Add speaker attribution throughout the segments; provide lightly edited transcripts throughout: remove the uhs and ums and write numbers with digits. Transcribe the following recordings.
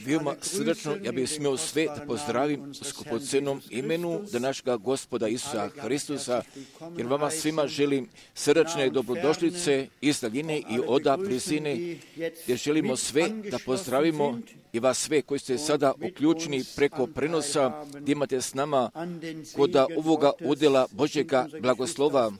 Speaker 1: Veoma srdačno ja bih smio sve da pozdravim u skupocenom imenu da našega Gospoda Isusa Hristusa, jer vama svima želim srdačne dobrodošlice iz daljine i oda blizine, jer želimo sve da pozdravimo i vas sve koji ste sada uključeni preko prenosa, gdje imate s nama kod ovoga udjela Božjega blagoslova,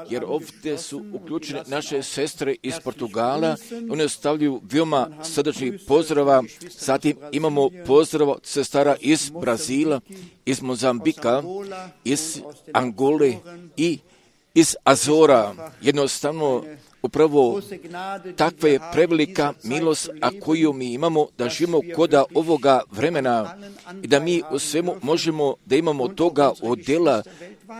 Speaker 1: jer ovdje su uključene naše sestre iz Portugala, one ostavljaju veoma srdačni pozdrava. Zatim imamo pozdrav sestara iz Brazila, iz Mozambika, iz Angole i iz Azora. Jednostavno, upravo takva je prevelika milost, a koju mi imamo da živimo koda ovoga vremena i da mi u svemu možemo da imamo toga odjela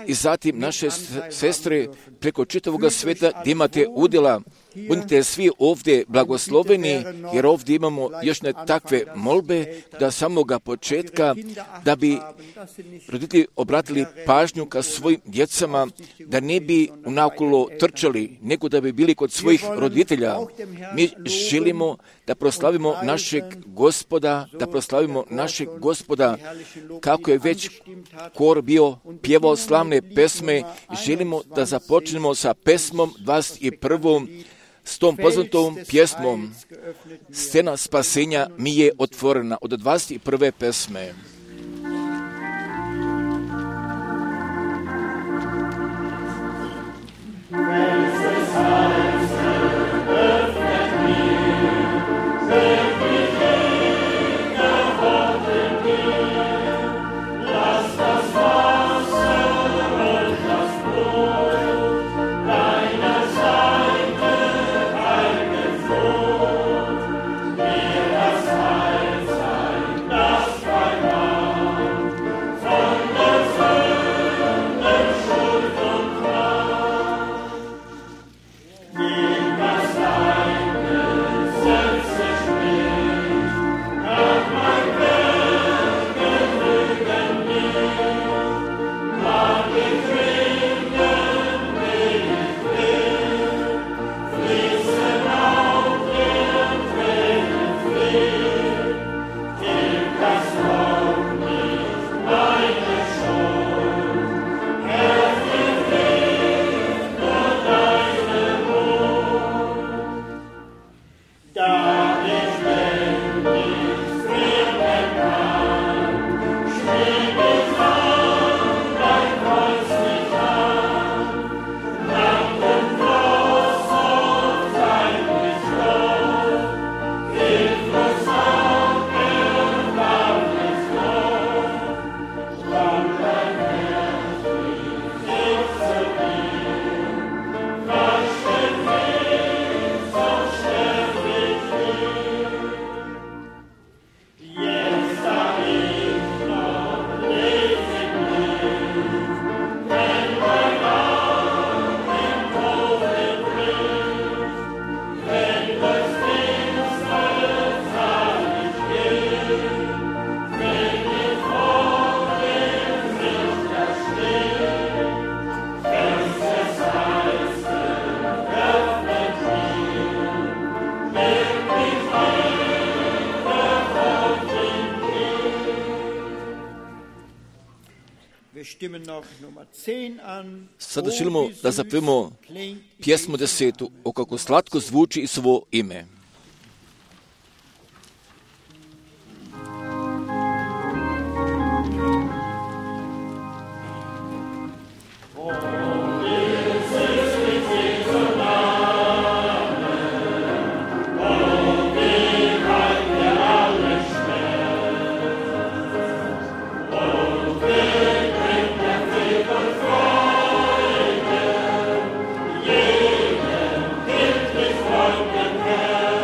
Speaker 1: i zatim naše sestre preko čitavoga sveta gdje imate udjela. Budite svi ovdje blagosloveni, jer ovdje imamo još ne takve molbe da samoga početka, da bi roditelji obratili pažnju ka svojim djecama, da ne bi unakolo trčali, nego da bi bili kod svojih roditelja. Mi želimo da proslavimo našeg Gospoda, kako je već kor bio pjevao slavne pesme. Želimo da započnemo sa pesmom 21. S tom poznatom pjesmom Scena spasenja mi je otvorena od 21. pesme. Sada želimo da zapevamo pjesmu 10. o kako slatko zvuči svo ime.
Speaker 2: Yeah.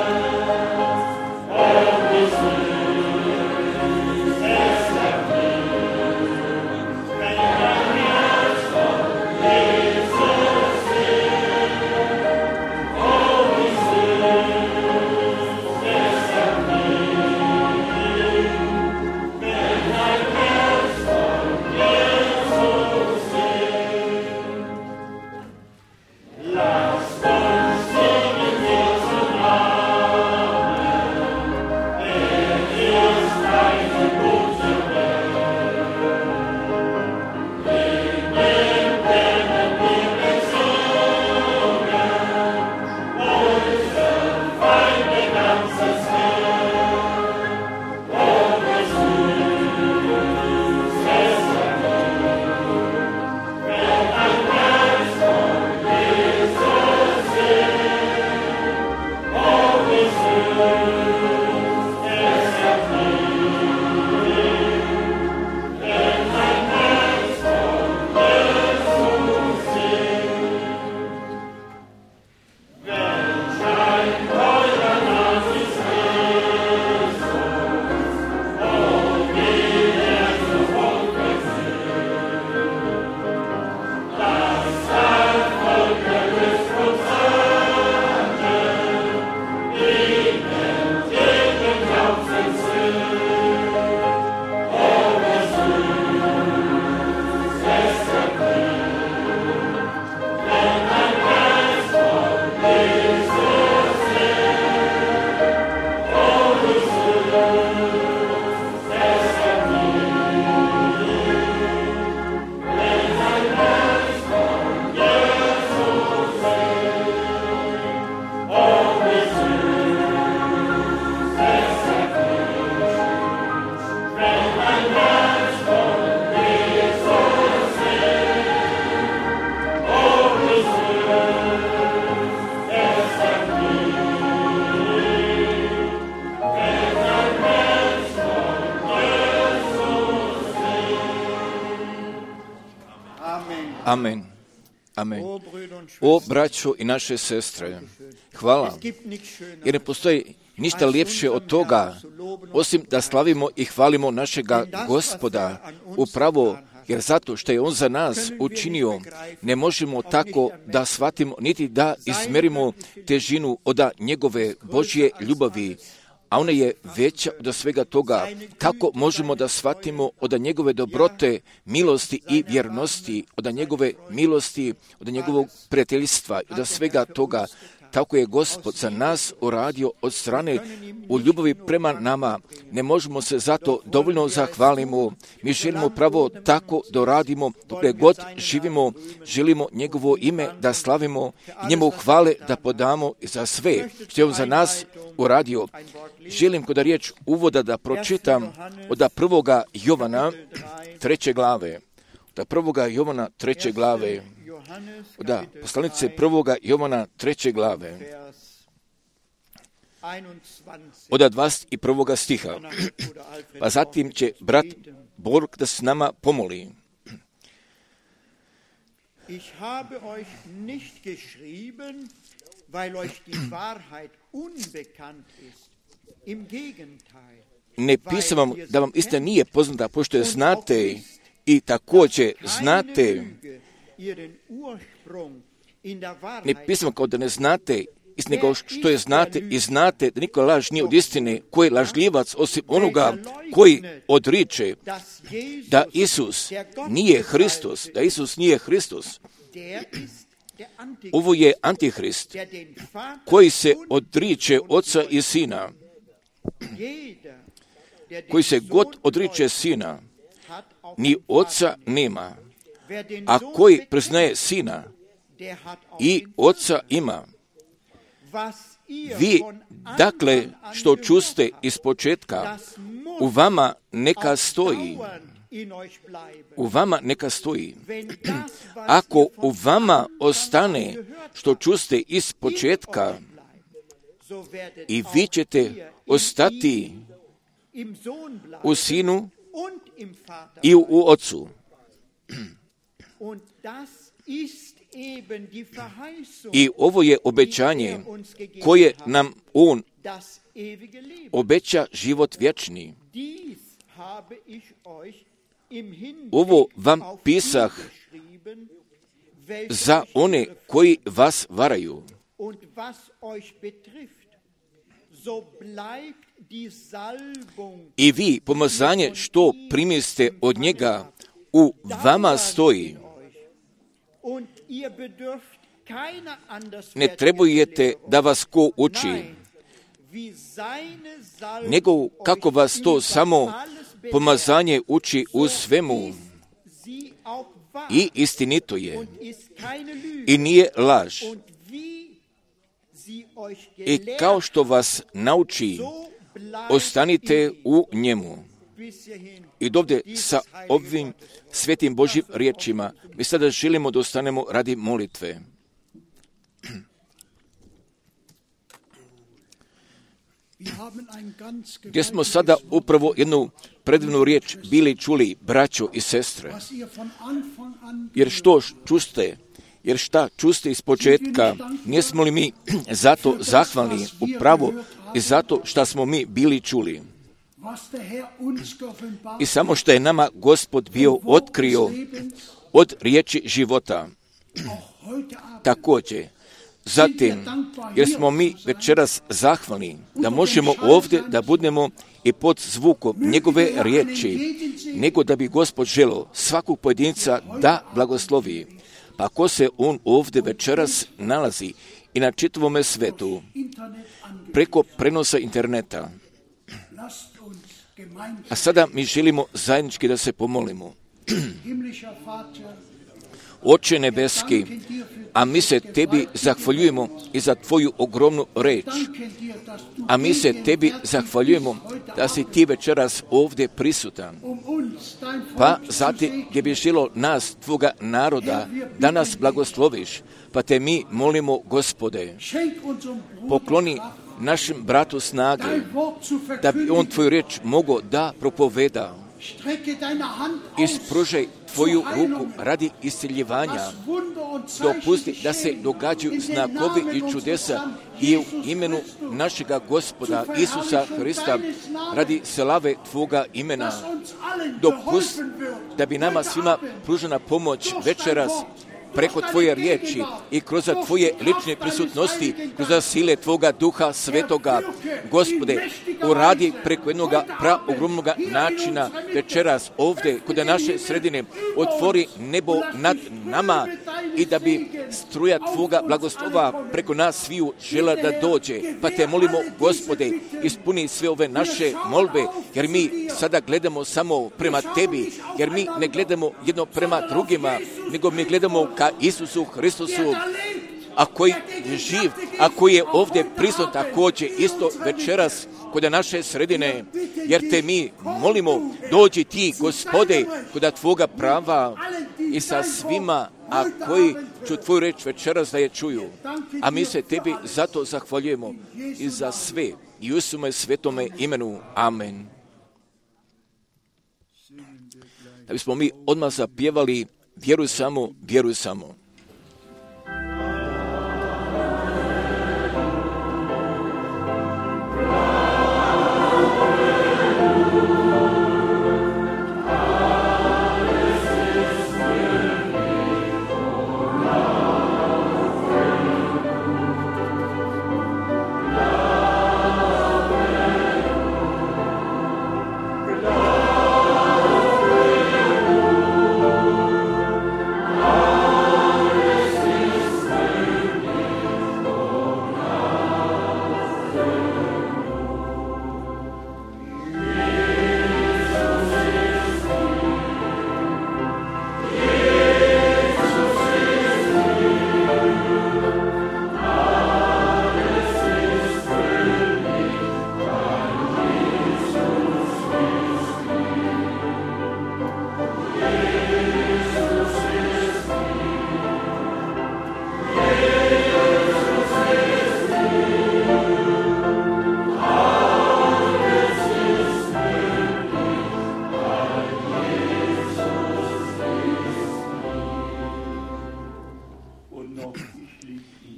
Speaker 1: Amen. Amen. O braćo i naše sestre, hvala, jer ne postoji ništa ljepše od toga, osim da slavimo i hvalimo našega Gospoda, upravo jer zato što je On za nas učinio, ne možemo tako da shvatimo, niti da izmerimo težinu od njegove Božje ljubavi, a ona je veća od svega toga. Kako možemo da shvatimo od njegove dobrote, milosti i vjernosti, od njegove milosti, od njegovog prijateljstva i od svega toga. Tako je Gospod za nas uradio od strane u ljubavi prema nama. Ne možemo se zato dovoljno zahvalimo. Mi želimo pravo tako da radimo, dokle god živimo, želimo njegovo ime da slavimo i njemu hvale da podamo za sve što je on za nas uradio. Želim kod riječ uvoda da pročitam od 1. Jovana 3. glave. Od 1. Jovana 3. glave. Da, poslanice 1. Jovana 3. glave, od 21. stiha. Pa zatim će brat Borg da s nama pomoli.
Speaker 2: Ich habe euch nicht geschrieben, weil euch die Wahrheit unbekannt ist. Im Gegenteil.
Speaker 1: Ne pisam vam da vam istina nije poznata, pošto je znate i također znate. Ne pisam kao da ne znate, nego što je znate i znate da niko laž nije od istine, koji je lažljivac osim onoga koji odriče da Isus nije Hristos, da Isus nije Hristos. Ovo je Antihrist koji se odriče Oca i Sina. Koji se god odriče Sina, ni Oca nema. A koji priznaje Sina i Oca ima. Vi, dakle, što čuste iz početka, u vama neka stoji. U vama neka stoji. Ako u vama ostane što čuste iz početka, i vi ćete ostati u Sinu i u Ocu. I ovo je obećanje koje nam On obeća život vječni. Ovo vam pisah za one koji vas varaju. I vi, pomazanje što primiste od njega, u vama stoji. Ne trebujete da vas ko uči, nego kako vas to samo pomazanje uči u svemu. I istinito je. I nije laž. I kao što vas nauči, ostanite u njemu. I dovde sa ovim svetim Božjim riječima mi sada želimo da ostanemo radi molitve. Gdje smo sada upravo jednu predivnu riječ bili čuli, braćo i sestre. Jer što čuste? Jer šta čuste iz početka, nismo li mi zato zahvalni upravo i zato što smo mi bili čuli. I samo što je nama Gospod bio otkrio od riječi života. Također, zatim, jer smo mi večeras zahvalni da možemo ovdje da budemo i pod zvukom njegove riječi, nego da bi Gospod želio svakog pojedinca da blagoslovi. Pa ako se on ovdje večeras nalazi i na čitavome svetu, preko prenosa interneta, a sada mi želimo zajednički da se pomolimo. Oče nebeski, a mi se tebi zahvaljujemo i za tvoju ogromnu reč. A mi se tebi zahvaljujemo da si ti večeras ovdje prisutan. Pa zatim gdje bi želo nas, tvoga naroda, da nas blagosloviš. Pa te mi molimo, Gospode, pokloni našem bratu snage, da bi on tvoju riječ mogao da propoveda. Ispružaj tvoju ruku radi isceljevanja. Dopusti da se događaju znakovi i čudesa i u imenu našega Gospoda Isusa Hrista radi slave tvoga imena. Dopusti da bi nama svima pružena pomoć večeras preko tvoje riječi i kroz tvoje lične prisutnosti, kroz sile tvoga Duha Svetoga. Gospode, uradi preko jednog ogromnog načina večeras ovdje kod naše sredine, otvori nebo nad nama i da bi struja tvoga blagoslova preko nas sviju žela da dođe. Pa te molimo, Gospode, ispuni sve ove naše molbe, jer mi sada gledamo samo prema tebi, jer mi ne gledamo jedno prema drugima, nego mi gledamo ka Isusu Hristusu, a koji je živ, a koji je ovdje prisutan također isto večeras kod naše sredine, jer te mi molimo, dođi ti, Gospode, kod tvoga prava i sa svima, a koji ću tvoju reč večeras da je čuju. A mi se tebi zato zahvaljujemo i za sve i u svome svetome imenu. Amen. Da bismo mi odmah zapjevali vjeruj samo, vjeruj samo.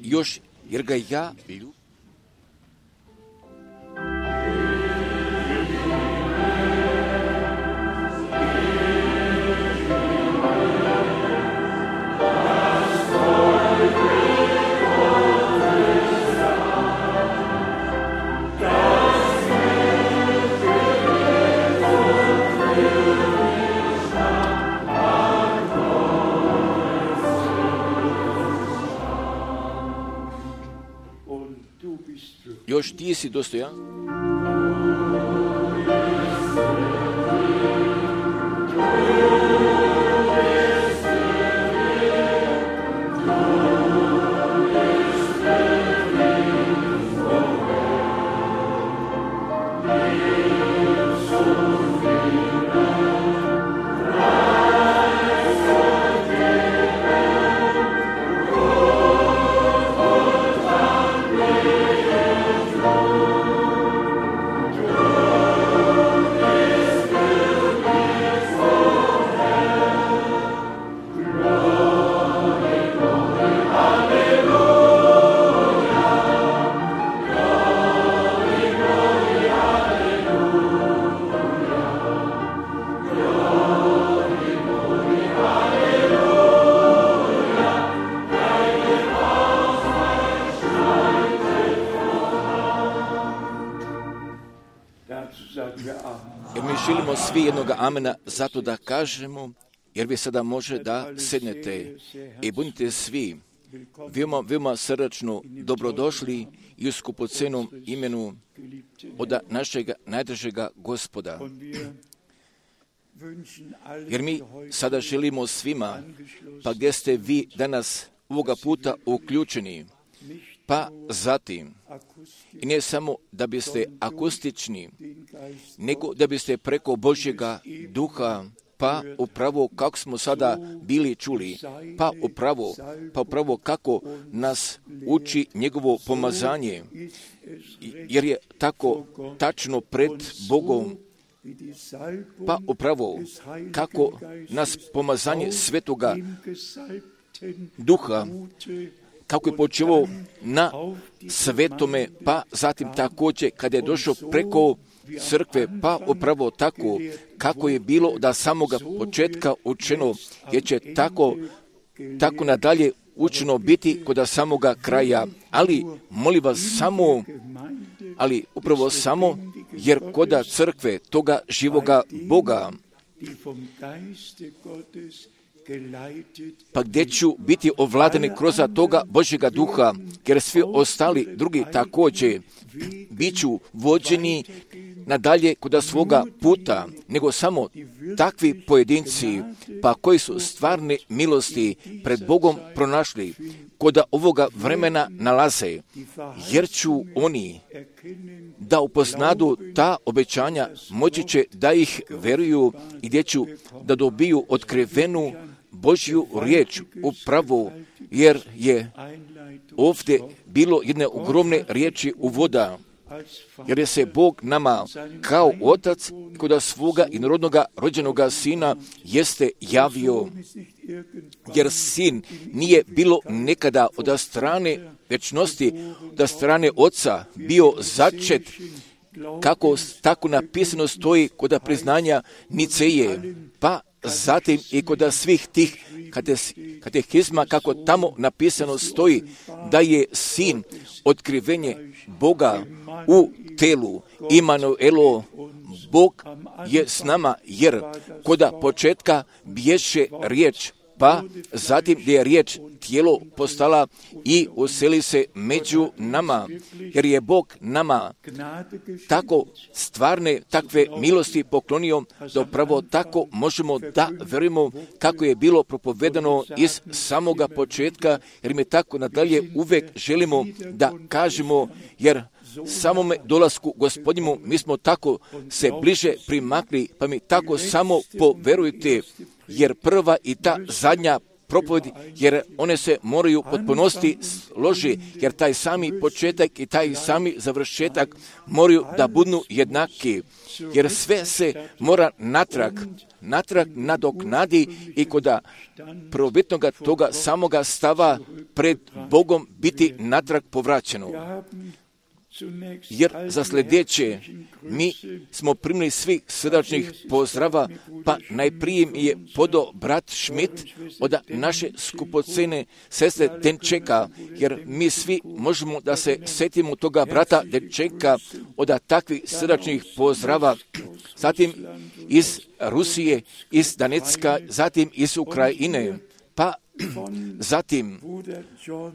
Speaker 1: Još, jer ga ja ljubim. Još ti si dostojan. Jer mi želimo svi jednoga amena zato da kažemo, jer vi sada može da sednete i budite svi veoma srdačno dobrodošli i u skupocenom imenu od našega najdražega Gospoda. Jer mi sada želimo svima, pa gdje ste vi danas ovoga puta uključeni, pa zatim, i ne samo da biste akustični, nego da biste preko Božjega duha, pa upravo kako smo sada bili čuli, pa upravo kako nas uči njegovo pomazanje, jer je tako tačno pred Bogom Pa upravo kako nas pomazanje Svetoga Duha, kako je počeo na Svetome, pa zatim također kada je došao preko crkve, pa upravo tako kako je bilo da samoga početka učeno, jer će tako nadalje učeno biti kod samoga kraja. Ali molim vas upravo samo, jer kod crkve toga živoga Boga, pa gdje ću biti ovladani kroz toga Božjega Duha, jer svi ostali drugi također bit ću vođeni nadalje kod svoga puta, nego samo takvi pojedinci, pa koji su stvarne milosti pred Bogom pronašli, kod ovoga vremena nalaze, jer ću oni da upoznadu ta obećanja, moći će da ih veruju i gdje ću da dobiju otkrivenu Božju riječ upravo, jer je ovdje bilo jedne ogromne riječi uvoda, jer je se Bog nama kao otac kod svoga inorodnoga rođenoga sina jeste javio, jer sin nije bilo nekada od strane večnosti, od strane oca bio začet, kako tako napisano stoji kod priznanja Niceje, pa zatim i kod svih tih katehizma, kako tamo napisano stoji da je sin otkrivenje Boga u telu. Imanuelo, Bog je s nama, jer kod početka bješe riječ, pa zatim gdje je riječ tijelo postala i useli se među nama, jer je Bog nama tako stvarne takve milosti poklonio, da upravo tako možemo da verujemo kako je bilo propovedano iz samoga početka, jer mi tako nadalje uvek želimo da kažemo, jer samome dolasku Gospodnjemu mi smo tako se bliže primakli, pa mi tako samo poverujte, jer prva i ta zadnja propovjed, jer one se moraju potpunosti složi, jer taj sami početak i taj sami završetak moraju da budu jednaki, jer sve se mora natrag nadoknadi i kod prvobitnoga toga samoga stava pred Bogom biti natrag povraćeno. Jer za sljedeće mi smo primili svih srdačnih pozdrava, pa najprije mi je podao brat Schmidt od naše skupocene sestre Denčeka, jer mi svi možemo da se setimo toga brata Denčeka od takvih srdačnih pozdrava, zatim iz Rusije, iz Danecka, zatim iz Ukrajine, pa zatim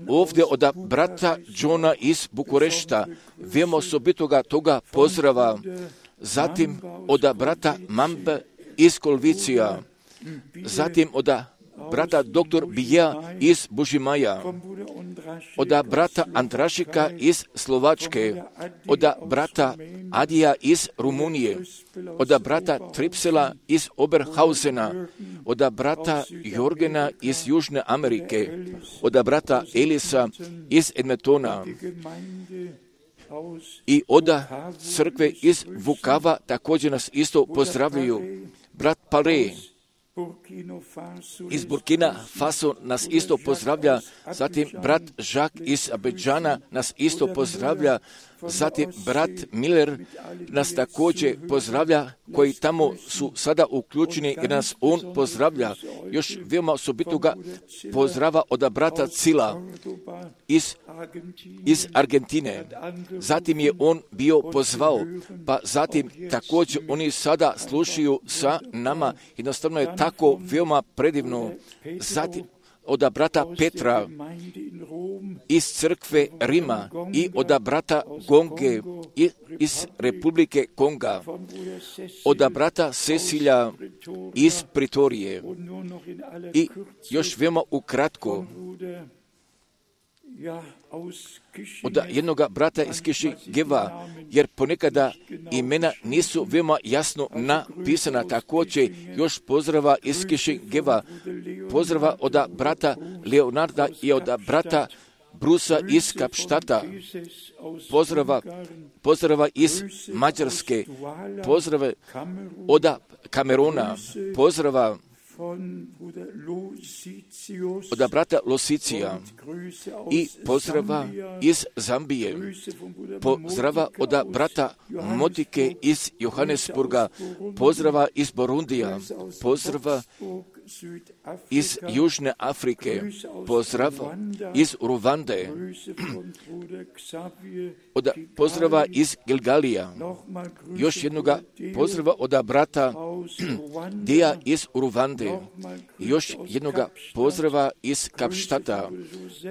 Speaker 1: ovdje od brata Johna iz Bukurešta, veoma osobitoga toga pozdrava, zatim od brata Mambe iz Kolvicija, zatim od brata dr. Bija iz Bužimaja, od brata Andrašika iz Slovačke, od brata Adija iz Rumunije, od brata Tripsela iz Oberhausena, od brata Jorgena iz Južne Amerike, od brata Elisa iz Edmontona i od crkve iz Vukava također nas isto pozdravljaju. Brat Pare iz Burkina Faso nas isto pozdravlja, zatim brat Jacques iz Abidžana nas isto pozdravlja, zatim brat Miller nas također pozdravlja, koji tamo su sada uključeni jer nas on pozdravlja. Još veoma osobitoga pozdrava od brata Cila iz Argentine. Zatim je on bio pozvao, pa zatim također oni sada slušaju sa nama. Jednostavno je tako veoma predivno. Zatim od brata Petra iz crkve Rima i od brata Gonge iz Republike Konga, od brata Cecilja iz Pritorije i još veoma ukratko od jednog brata iz Kišingeva, jer ponekada imena nisu veoma jasno napisana. Također još pozdrava iz Kišingeva, pozdrava od brata Leonarda i od brata Brusa iz Kapštata, pozdrava iz Mađarske, pozdrave od Kameruna, pozdrava od brata Losicija i pozdrava iz Zambije, pozdrava od brata Motike iz Johannesburga, pozdrava iz Burundija, pozdrava iz Južne Afrike, pozdrav iz Ruvande, od pozdrava iz Gilgalija, još jednoga pozdrava od brata Dija iz Ruvande, još jednoga pozdrava iz Kapštata,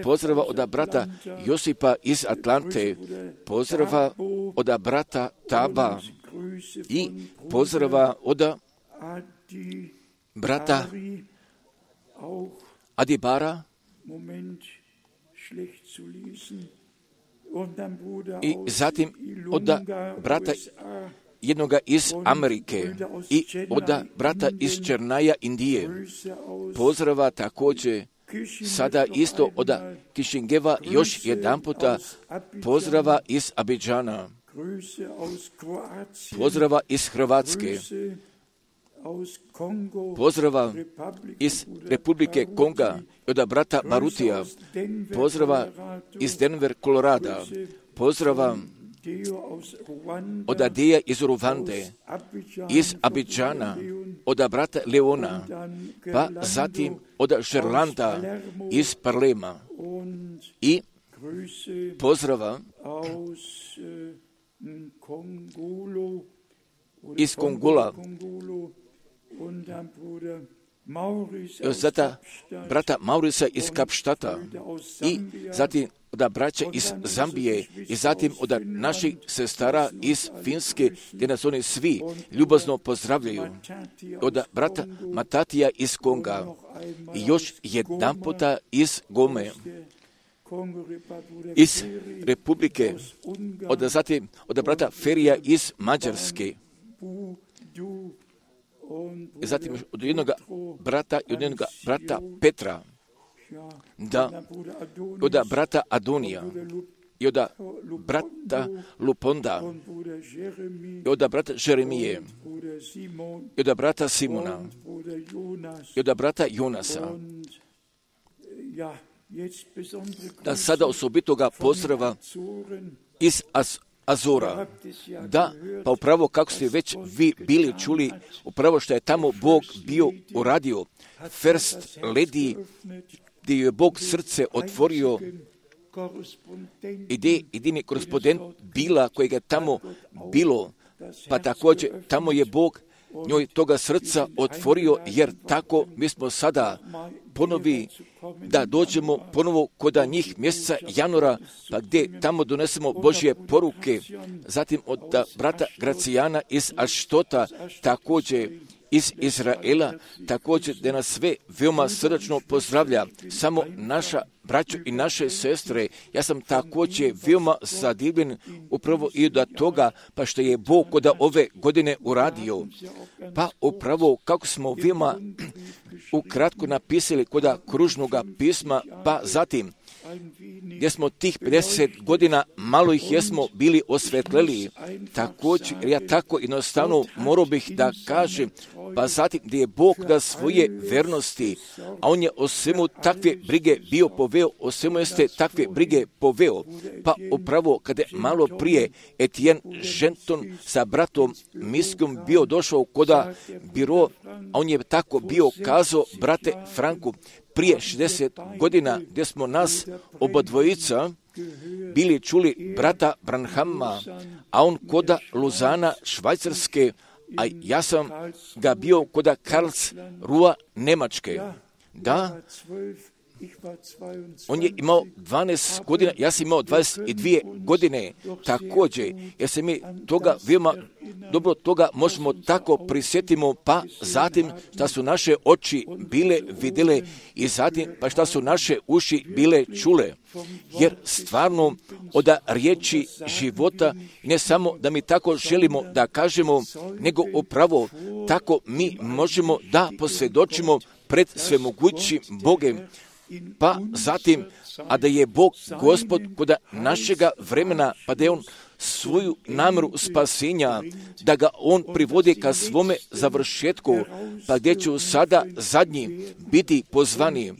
Speaker 1: pozdrava od brata Josipa iz Atlante, pozdrava od brata Taba i pozdrava od brata Adibara i zatim od brata jednoga iz Amerike i od brata iz Černaja, Indije. Pozdrava također sada isto od Kišingeva još jedan puta, pozdrava iz Abidžana, pozdrava iz Hrvatske, pozdrava iz Republike Konga od brata Marutija, pozdrava iz Denver, Kolorada, pozdrava od Adeja iz Ruvande, iz Abidžana, od brata Leona, pa zatim od Žerlanda iz Parlema i pozdrava iz Kongola, zata brata Maurisa iz Kapštata i zatim od braća iz Zambije i zatim od naših sestara iz Finske, gdje nas oni svi ljubazno pozdravljaju, od brata Matatija iz Konga i još jedan puta iz Gome, iz Republike, zatim od brata Ferija iz Mađarske, i zatim od jednog brata i od jednog brata Petra, da od brata Adonija i od brata Luponda i od brata Žeremije i od brata Simona i od brata Jonasa. Da sada osobitoga pozdrava iz Azora. Da, pa upravo kako ste već vi bili čuli, upravo što je tamo Bog bio uradio, First Lady, gdje je Bog srce otvorio, jedini korespondent bila kojega je tamo bilo, pa također tamo je Bog njoj toga srca otvorio, jer tako mi smo sada ponovi da dođemo ponovo kod njih mjeseca januara, pa gdje tamo donesemo Božje poruke, zatim od brata Gracijana iz Aštota, također iz Izraela, također da nas sve veoma srdačno pozdravlja, samo naša braćo i naše sestre. Ja sam također veoma zadivljen upravo i od toga, pa što je Bog kod ove godine uradio. Pa upravo kako smo veoma ukratko napisali kod kružnog pisma, pa zatim gdje smo tih 50 godina, malo ih jesmo bili osvetleli. Također, ja tako jednostavno morao bih da kažem, pa zatim gdje je Bog da svoje vernosti, a On je o svemu takve brige bio poveo, o svemu jeste takve brige poveo. Pa upravo kada je malo prije Etienne Genton sa bratom Miskom bio došao koda biro, a on je tako bio kazao, brate Franku, prije 60 godina gdje smo nas obodvojica bili čuli brata Branhama, a on koda Luzana, Švajcarske, a ja sam ga bio koda Karlsruhe, Njemačke. Da, on je imao 12 godina, ja sam imao 22 godine također, jer se mi toga veoma dobro toga možemo tako prisjetimo, pa zatim šta su naše oči bile vidjele i zatim pa šta su naše uši bile čule. Jer stvarno od riječi života, ne samo da mi tako želimo da kažemo, nego upravo tako mi možemo da posvjedočimo pred svemogućim Bogem, pa zatim, a da je Bog Gospod kod našega vremena, pa da je On svoju namjeru spasenja, da ga On privodi ka svome završetku, pa gdje ću sada zadnji biti pozvani,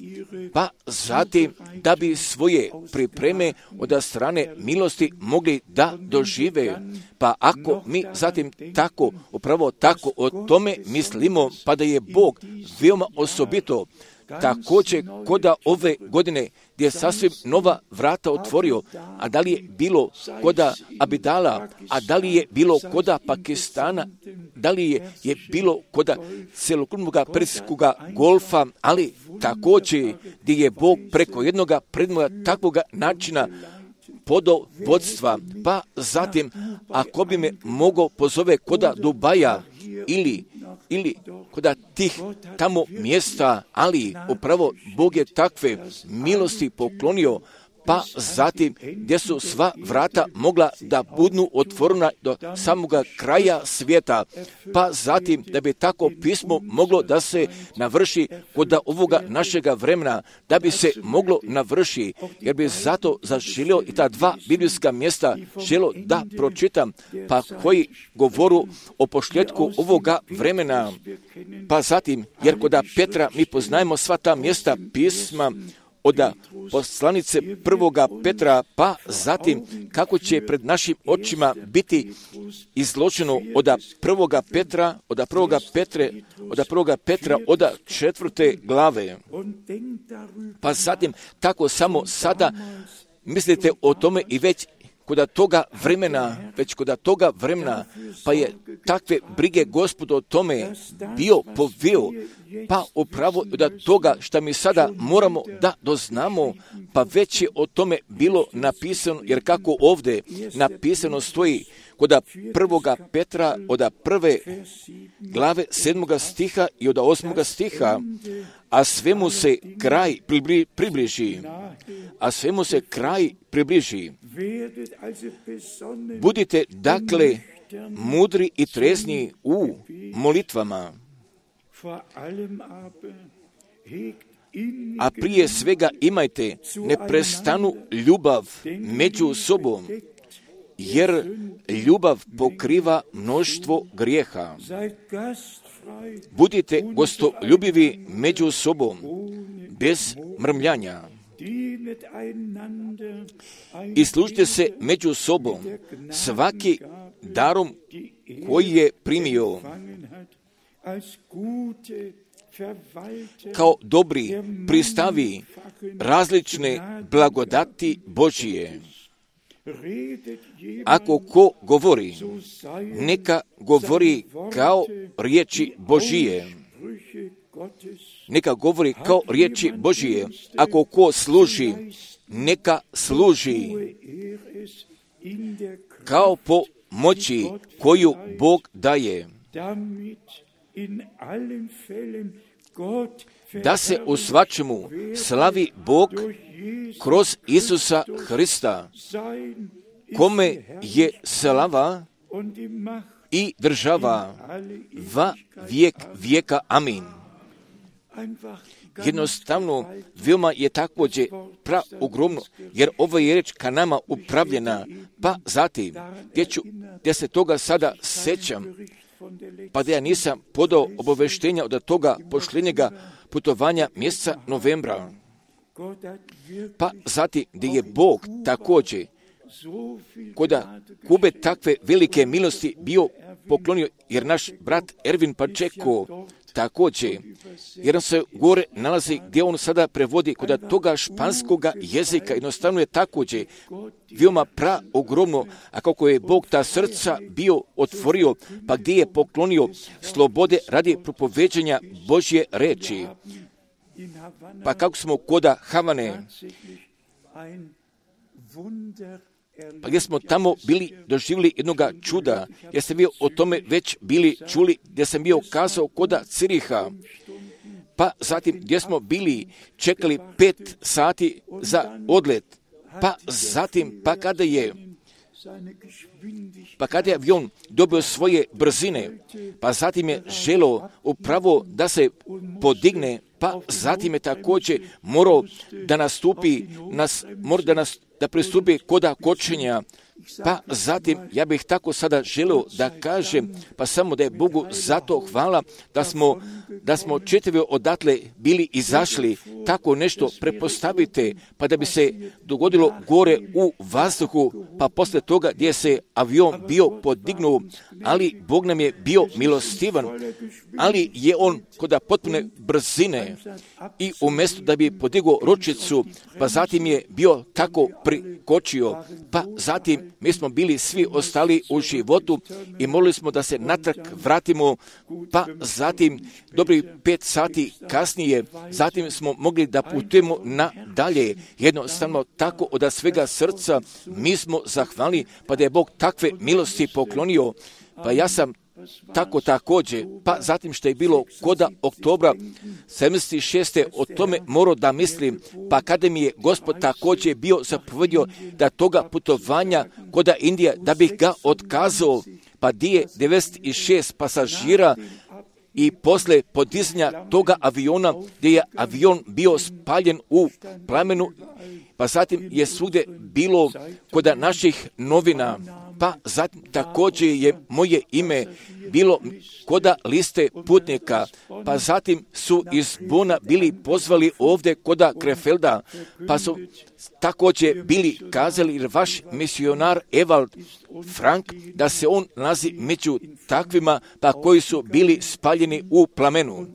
Speaker 1: pa zatim da bi svoje pripreme od strane milosti mogli da dožive. Pa ako mi zatim tako, upravo tako o tome mislimo, pa da je Bog veoma osobito također koda ove godine gdje je sasvim nova vrata otvorio, a da li je bilo koda Abidala, a da li je bilo koda Pakistana, da li je bilo koda celokupnog Perskog golfa, ali također gdje je Bog preko jednoga predmoga takvoga načina podao vodstva, pa zatim ako bi me mogao pozove koda Dubaja ili koda tih tamo mjesta, ali upravo Bog je takve milosti poklonio, pa zatim gdje su sva vrata mogla da budu otvorena do samoga kraja svijeta, pa zatim da bi tako pismo moglo da se navrši kod ovoga našega vremena, da bi se moglo navrši, jer bi zato zaželio i ta dva biblijska mjesta želio da pročitam, pa koji govoru o pošljetku ovoga vremena, pa zatim, jer kod Petra mi poznajemo sva ta mjesta pisma, od poslanice prvoga Petra, pa zatim kako će pred našim očima biti izloženo od prvoga Petra, od 4. glave. Pa zatim tako samo sada mislite o tome i već kod toga vremena, pa je takve brige Gospod o tome bio poveo, pa upravo od toga što mi sada moramo da doznamo, pa već je o tome bilo napisano, jer kako ovdje napisano stoji kod prvoga Petra od 1. glave 7. stiha i od 8. stiha, a svemu se kraj približi. Budite dakle mudri i trezni u molitvama, a prije svega imajte neprestanu ljubav među sobom, jer ljubav pokriva mnoštvo grijeha. Budite gostoljubivi među sobom, bez mrmljanja. I služite se među sobom, svaki darom koji je primio, kao dobri pristavi različne blagodati Božije. Ako ko govori, neka govori kao riječi Božije. Neka govori kao riječi Božije. Ako ko služi, neka služi kao po moći koju Bog daje, da se u svačemu slavi Bog kroz Isusa Hrista, kome je slava i država va vijek vijeka. Amin. Jednostavno, veoma je također ogromno, jer ovo je riječ ka nama upravljena, pa zatim, gdje se toga sada sećam, pa da ja nisam podao obaveštenja od toga pošljenjega putovanja mjeseca novembra, pa zatim gdje je Bog također kod Kube takve velike milosti bio poklonio, jer naš brat Ervin Pačeko također, jer on se gore nalazi gdje on sada prevodi kod toga španskoga jezika, jednostavno je također veoma ogromno, a kako je Bog ta srca bio otvorio, pa gdje je poklonio slobode radi propoveđenja Božje reči. Pa kako smo kod Havane, pa gdje smo tamo bili doživjeli jednoga čuda, jer sam bio o tome već bili čuli, gdje sam bio kazao kod Ciriha, pa zatim gdje smo bili čekali 5 sati za odlet, pa zatim, pa kada je avion dobio svoje brzine, pa zatim je želio upravo da se podigne, pa zatim je također morao da nastupi, da pristupi koda kočenja, pa zatim ja bih tako sada želio da kažem, pa samo da je Bogu zato hvala da smo čitavi odatle bili izašli, tako nešto prepostavite, pa da bi se dogodilo gore u vazduhu, pa posle toga gdje se avion bio podignuo, ali Bog nam je bio milostivan, ali je on kod potpune brzine i umjesto da bi podigao ručicu, pa zatim je bio tako prikočio, pa zatim mi smo bili svi ostali u životu i molili smo da se natrag vratimo, pa zatim dobri 5 sati kasnije, zatim smo mogli da putujemo nadalje. Jednostavno tako od svega srca mi smo zahvalni, pa da je Bog takve milosti poklonio. Pa ja sam tako također, pa zatim što je bilo koda oktobra 76. o tome morao da mislim, pa kada mi je Gospod također bio zapovedio da toga putovanja koda Indije, da bih ga otkazao, pa di je 96 pasažira i posle podizanja toga aviona, gdje je avion bio spaljen u plamenu, pa zatim je svugdje bilo koda naših novina, pa zatim također je moje ime bilo koda liste putnika, pa zatim su iz Bona bili pozvali ovdje koda Krefelda, pa su također bili kazali, jer vaš misionar Evald Frank, da se on nalazi među takvima, pa koji su bili spaljeni u plamenu.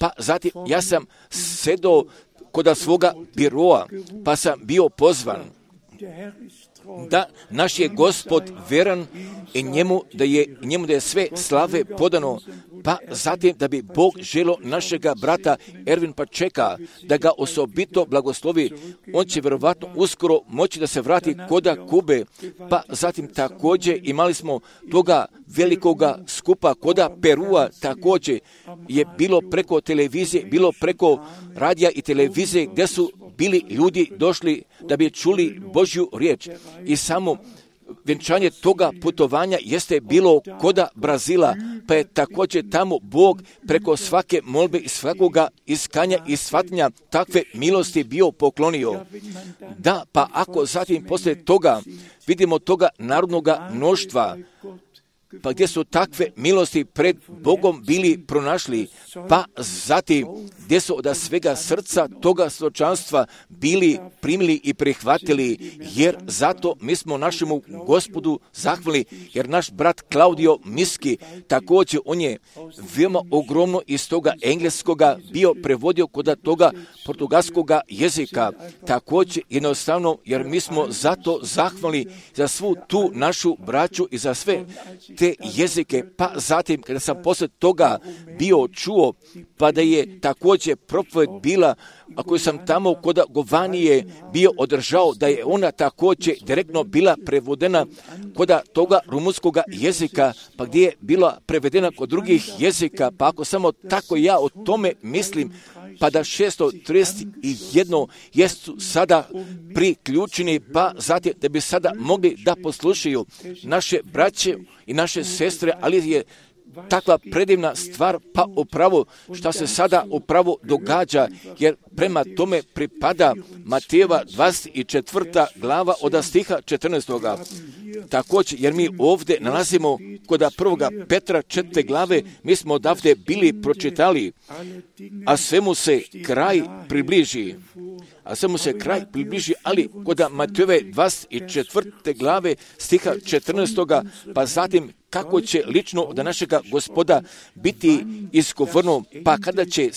Speaker 1: Pa zatim ja sam sedao koda svoga biroa, pa sam bio pozvan da naš je Gospod veran i njemu da je sve slave podano, pa zatim da bi Bog želio našega brata Ervin Pačeka da ga osobito blagoslovi. On će vjerovatno uskoro moći da se vrati koda Kube, pa zatim također imali smo toga velikoga skupa koda Perua, također je bilo preko televizije, bilo preko radija i televizije gdje su bili ljudi došli da bi čuli Božju riječ i samo vjenčanje toga putovanja jeste bilo koda Brazila, pa je također tamo Bog preko svake molbe i svakoga iskanja i shvatanja takve milosti bio poklonio. Da, pa ako zatim poslije toga vidimo toga narodnoga mnoštva, pa gdje su takve milosti pred Bogom bili pronašli, pa zatim gdje su od svega srca toga svjedočanstva bili primili i prihvatili, jer zato mi smo našemu Gospodu zahvali, jer naš brat Klaudio Miski, također on je veoma ogromno iz toga engleskoga bio prevodio kod toga portugalskoga jezika, također jednostavno, jer mi smo zato zahvali za svu tu našu braću i za sve te jezike, pa zatim kada sam poslije toga bio čuo, pa da je također propoved bila, a koju sam tamo kod Govanije bio održao, da je ona također direktno bila prevodena kod toga rumunskoga jezika, pa gdje je bila prevedena kod drugih jezika, pa ako samo tako ja o tome mislim, pa da 631 jesu sada priključeni, pa zatim da bi sada mogli da poslušaju naše braće i naše sestre, ali je takva predivna stvar, pa upravo što se sada upravo događa, jer prema tome pripada Matejeva 24. glava od stiha 14. Također, jer mi ovdje nalazimo kod 1. Petra 4. glave, mi smo odavde bili pročitali, a svemu se kraj približi. Ali kod Matejeve 24. glave stiha 14. pa zatim kako će lično od našega Gospoda biti isgovorno, pa kada će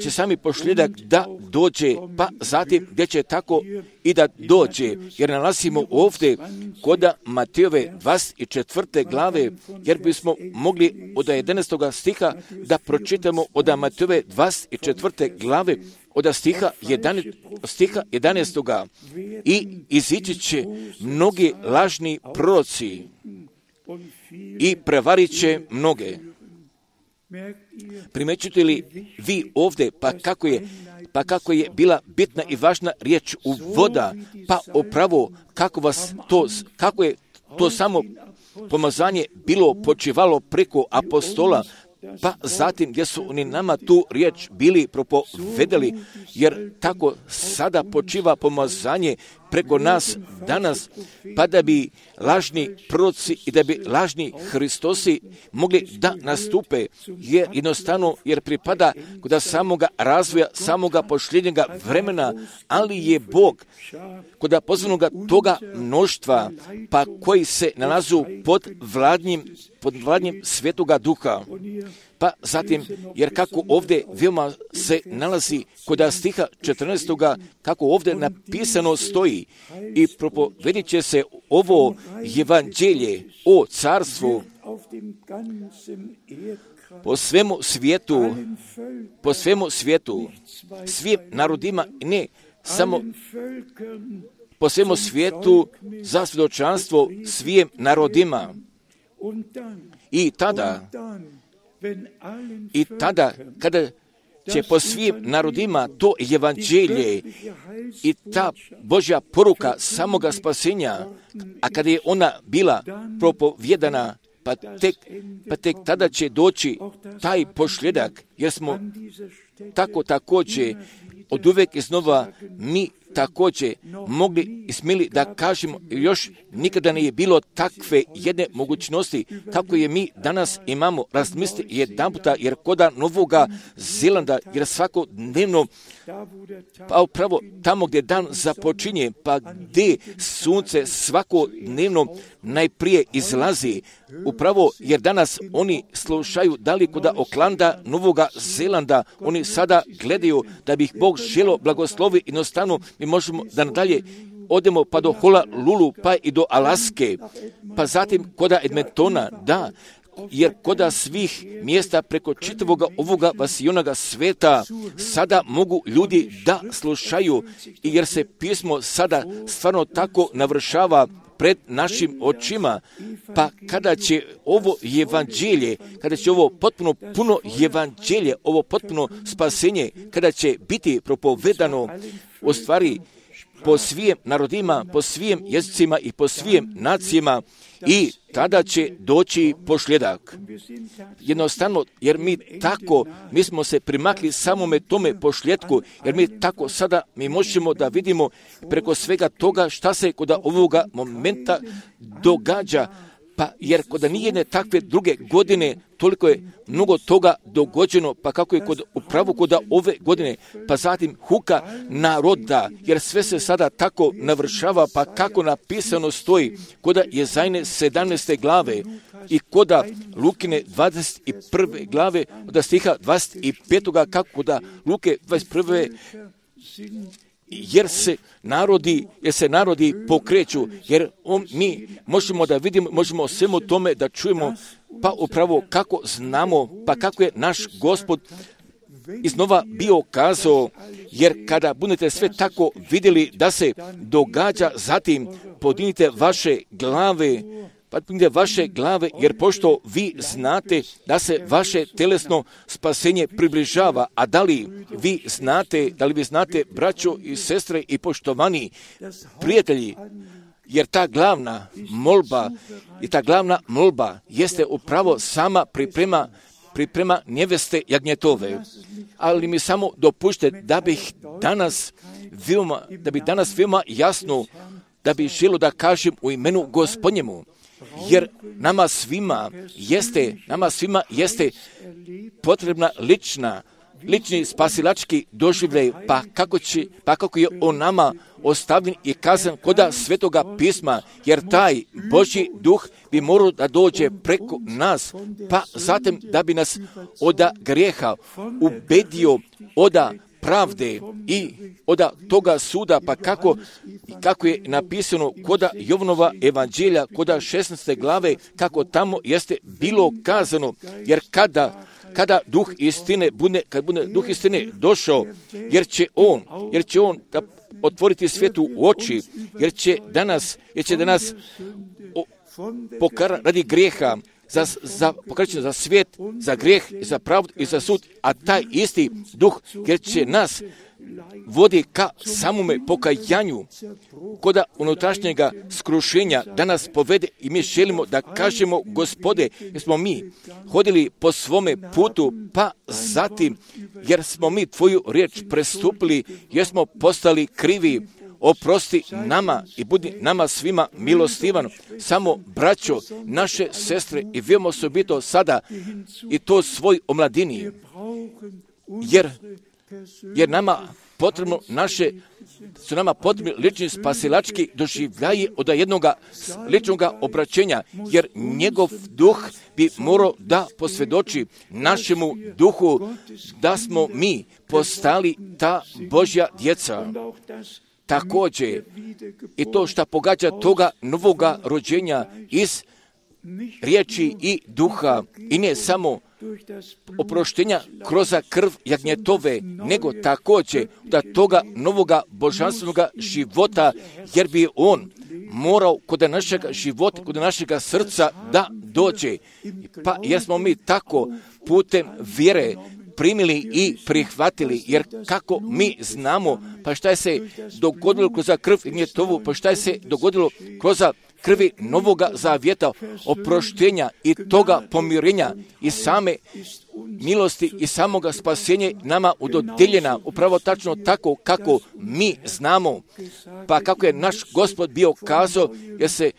Speaker 1: sami pošljedak da dođe, pa zatim gdje će tako i da dođe, jer nalazimo ovdje kod Matejove 24. glave, jer bismo mogli od 11. stiha da pročitamo od Matejove 24. glave, od stiha 11. I izići će mnogi lažni proroci i prevarit će mnoge. Primećujete li vi ovdje, pa kako je bila bitna i važna riječ uvoda, pa upravo kako je to samo pomazanje bilo počivalo preko apostola, pa zatim gdje su oni nama tu riječ bili propovedali, jer tako sada počiva pomazanje preko nas danas, pa da bi lažni proroci i da bi lažni Hristosi mogli da nastupe, jer jednostavno, jer pripada kod samoga razvoja, samoga posljednjega vremena, ali je Bog kod pozvanoga toga mnoštva, pa koji se nalazu pod vladnjim Svetoga Duha. Pa zatim, jer kako ovdje veoma se nalazi kod stiha 14. kako ovdje napisano stoji, i propovedit će se ovo evanđelje o carstvu po svemu svijetu, svim narodima, ne samo po svemu svijetu za svjedočanstvo svim narodima. I tada, kada će po svim narodima to evanđelje i ta Božja poruka samoga spasenja, a kada je ona bila propovjedana, pa tek tada će doći taj posljedak, jer smo tako također od uvijek iznova mi također mogli i smjeli da kažemo, još nikada nije bilo takve jedne mogućnosti kako je mi danas imamo. Razmisli jedanputa, jer koda Novoga Zelanda, jer svakodnevno, pa upravo tamo gdje dan započinje, pa gdje sunce svakodnevno najprije izlazi, upravo jer danas oni slušaju da li kod Oklanda, Novoga Zelanda, oni sada gledaju da bi ih Bog želo blagoslovi, jednostavno mi možemo da nadalje odemo pa do Honolulu, pa i do Alaske, pa zatim kod Edmontona, da, jer kod svih mjesta preko čitavoga ovoga vasionoga sveta sada mogu ljudi da slušaju, i jer se pismo sada stvarno tako navršava pred našim očima, pa kada će ovo evanđelje, kada će ovo potpuno puno evanđelje, ovo potpuno spasenje, kada će biti propovedano u stvari po svim narodima, po svim jezicima i po svim nacijama, i tada će doći posljedak. Jednostavno, jer mi smo se primakli samome tome posljedku, jer mi tako sada mi možemo da vidimo preko svega toga šta se kod ovoga momenta događa, pa jer kod nijedne takve druge godine toliko je mnogo toga dogođeno, pa kako je upravo kod ove godine, pa zatim huka naroda, jer sve se sada tako navršava, pa kako napisano stoji kod Jezajne 17. glave i kod Lukine 21. glave od stiha 25. kako kod Luke 21. jer se narodi pokreću, jer mi možemo da vidimo, možemo o svemu tome da čujemo, pa upravo kako znamo, pa kako je naš Gospod iznova bio kazao, jer kada budete sve tako vidjeli da se događa, zatim podignite vaše glave, jer pošto vi znate da se vaše telesno spasenje približava, a da li vi znate, braćo i sestre i poštovani prijatelji, jer ta glavna molba jeste upravo sama priprema neveste jagnjetove. Ali mi samo dopušte da bi danas veoma jasno, da bi želio da kažem u imenu Gospodnjemu, jer nama svima jeste potrebna lični spasilački doživljaj, pa kako je on nama ostavljen i kazan kod Svetoga pisma, jer taj Božji duh bi morao da dođe preko nas, pa zatim da bi nas od grijeha ubedio, od pravde i od toga suda, pa kako je napisano kod Jovanova evanđelja, kod 16. glave, kako tamo jeste bilo kazano, jer kada duh istine bude duh istine došao, jer će on da otvoriti svijetu u oči, jer će danas pokara radi grijeha, za pokrećenje, za svijet, za grijeh, za pravdu i za sud, a taj isti duh jer će nas vodi ka samome pokajanju, koda unutrašnjega skrušenja da nas povede i mi želimo da kažemo Gospode, jer smo mi hodili po svome putu, pa zatim jer smo mi Tvoju riječ prestupili, jer smo postali krivi, oprosti nama i budi nama svima milostivan. Samo braćo, naše sestre i vi osobito sada i to svoj omladini, jer nama potrebno su nama potrebni lični spasilački doživljaji od jednog ličnog obraćenja, jer njegov duh bi morao da posvjedoči našemu duhu da smo mi postali ta Božja djeca. Također, i to što pogađa toga novoga rođenja iz riječi i duha, i ne samo oproštenja kroz krv jagnjetove, nego također da toga novoga božanstvenog života, jer bi on morao kod našeg života, kod našeg srca da dođe. Pa jer smo mi tako putem vjere primili i prihvatili, jer kako mi znamo, pa šta je se dogodilo kroz krv jagnjetovu, pa šta je se dogodilo kroz krvi novoga zavjeta, oproštenja i toga pomirenja i same milosti i samoga spasenja nama udodijeljena upravo tačno tako kako mi znamo. Pa kako je naš Gospod bio kazao, jer se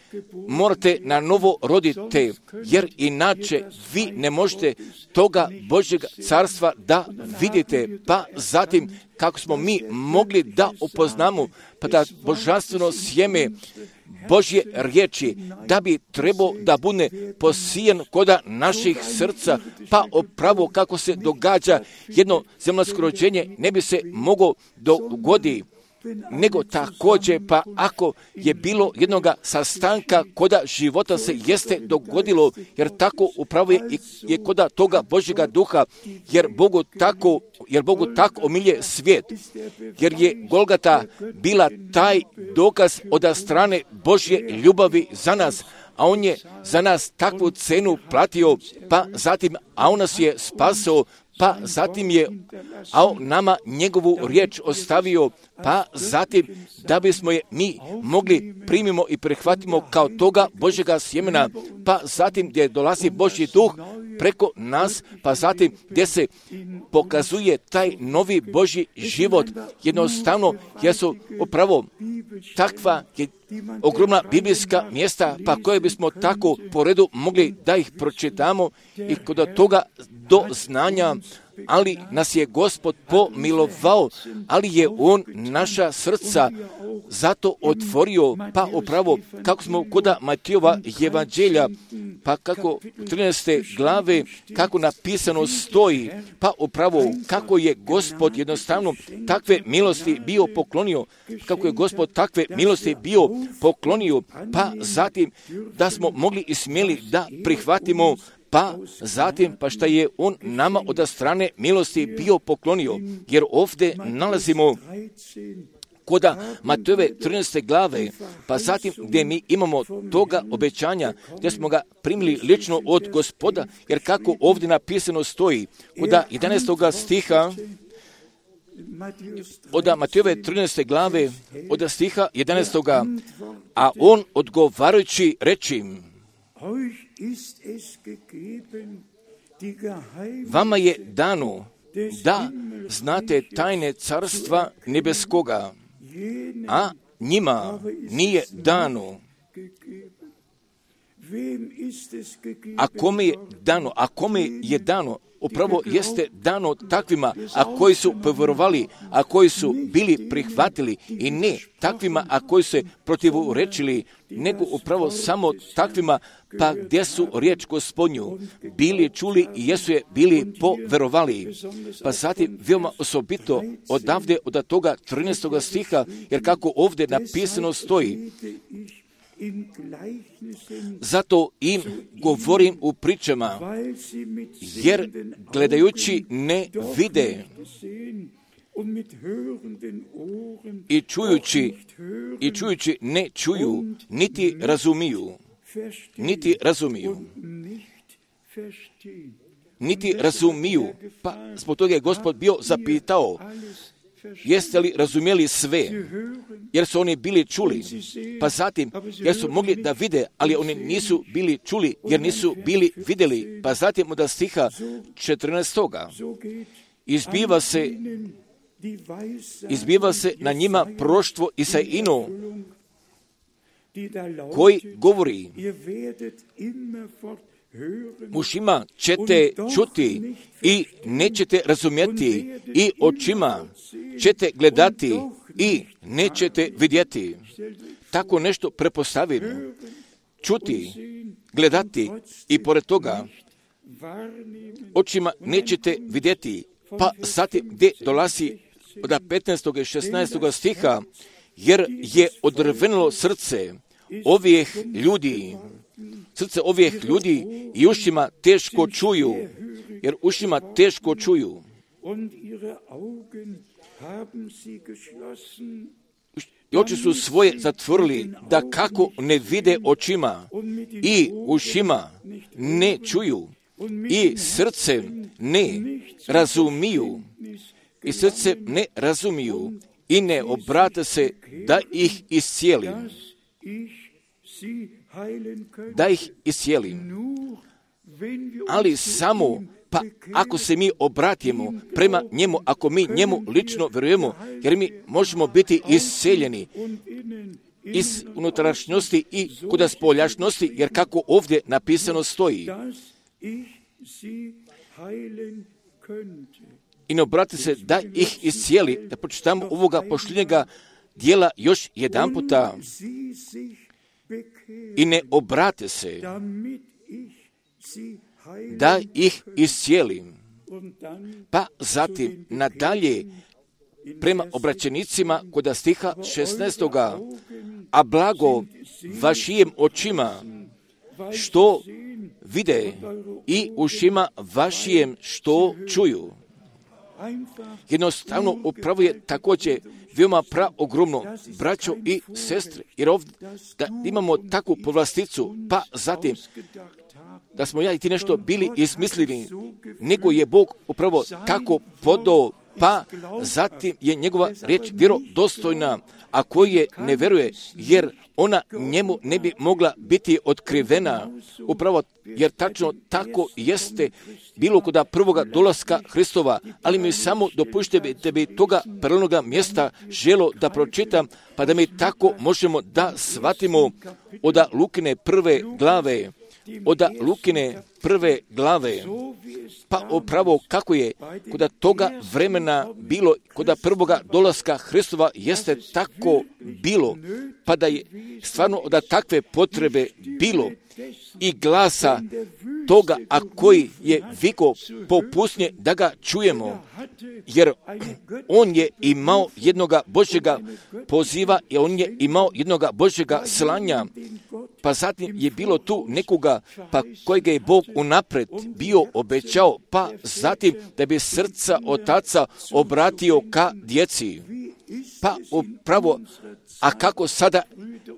Speaker 1: morate na novo roditi, jer inače vi ne možete toga Božjeg carstva da vidite. Pa zatim kako smo mi mogli da upoznamo, pa da božanstveno sjeme Božje riječi, da bi trebao da bude posijen koda naših srca, pa upravo kako se događa jedno zemaljsko rođenje ne bi se moglo dogoditi, nego također pa ako je bilo jednog sastanka koda života se jeste dogodilo, jer tako upravo je koda toga Božjega duha, jer Bogu tako omilje svijet, jer je Golgata bila taj dokaz od strane Božje ljubavi za nas, a on je za nas takvu cenu platio, pa zatim, a on nas je spasao, pa zatim je nama njegovu riječ ostavio, pa zatim da bismo je mi mogli primimo i prihvatimo kao toga Božjega sjemena, pa zatim gdje dolazi Božji duh preko nas, pa zatim gdje se pokazuje taj novi Božji život, jednostavno jer su upravo takva ogromna biblijska mjesta, pa koje bismo tako po redu mogli da ih pročitamo i kod toga do znanja, ali nas je Gospod pomilovao, ali je on naša srca zato otvorio, pa upravo kako smo kod Matijova evanđelja, pa kako 13. glave, kako napisano stoji, pa upravo kako je Gospod jednostavno takve milosti bio poklonio, kako je Gospod takve milosti bio poklonio, pa zatim da smo mogli i smjeli da prihvatimo, pa zatim pa šta je on nama od strane milosti bio poklonio, jer ovdje nalazimo koda Matejove 13. glave, pa zatim gdje mi imamo toga obećanja, gdje smo ga primili lično od Gospoda, jer kako ovdje napisano stoji, koda 11. stiha, od Matejove 13. glave, od stiha 11. A on odgovarajući reči, vama je dano da znate tajne carstva nebeskoga, a njima nije dano. A kome je dano, upravo jeste dano takvima, a koji su povjerovali, a koji su bili prihvatili, i ne takvima, a koji se protivrečili, nego upravo samo takvima, pa gdje su riječ Gospodnju bili čuli i jesu je bili povjerovali. Pa zatim veoma osobito odavde od toga 13. stiha, jer kako ovdje napisano stoji, zato im govorim u pričama, jer gledajući ne vide i čujući ne čuju, niti razumiju. niti razumiju. Pa zbog toga je Gospod bio zapitao, jeste li razumjeli sve? Jer su oni bili čuli. Pa zatim, jer su mogli da vide, ali oni nisu bili čuli, jer nisu bili vidjeli. Pa zatim od stiha 14. Izbiva se na njima proroštvo Isaijino, koji govori, ušima ćete čuti i nećete razumjeti, i očima ćete gledati i nećete vidjeti. Tako nešto prepostavimo. Čuti, gledati i pored toga očima nećete vidjeti. Pa zatim gdje dolazi od 15. i 16. stiha, jer je odrvenilo srce ovih ljudi, i ušima teško čuju, jer ušima teško čuju. I oči su svoje zatvorili, da kako ne vide očima, i ušima ne čuju, i srcem ne razumiju, i ne obrate se da ih iscijelim. Ali samo, pa ako se mi obratimo prema njemu, ako mi njemu lično vjerujemo, jer mi možemo biti isceljeni iz unutrašnjosti i kuda spoljašnosti, jer kako ovdje napisano stoji. I ne obrati se da ih iscijeli, da pročitamo ovoga posljednjega dijela još jedan puta. I ne obrate se da ih iscijelim. Pa zatim nadalje prema obraćenicima kod stiha 16. A blago vašim očima što vide i ušima vašim što čuju. Jednostavno upravo je također veoma praogromno, braćo i sestre, jer ovdje da imamo takvu povlasticu, pa zatim da smo ja i ti nešto bili izmislili, nego je Bog upravo tako podao, pa zatim je njegova riječ vjerodostojna, a koji je ne vjeruje, jer ona njemu ne bi mogla biti otkrivena, upravo jer tačno tako jeste bilo kod prvoga dolaska Hristova, ali mi samo dopušte da bi toga prelnoga mjesta želo da pročitam, pa da mi tako možemo da shvatimo od Lukine prve glave, pa upravo kako je kod toga vremena bilo, kod prvoga dolaska Hristova jeste tako bilo, pa da je stvarno od takve potrebe bilo i glasa toga, a koji je vikao po pustinji da ga čujemo, jer on je imao jednoga Božjega poziva i on je imao jednoga Božjega slanja, pa zatim je bilo tu nekoga pa kojega je Bog unaprijed bio obećao, pa zatim da bi srca otaca obratio ka djeci. Pa upravo, a kako sada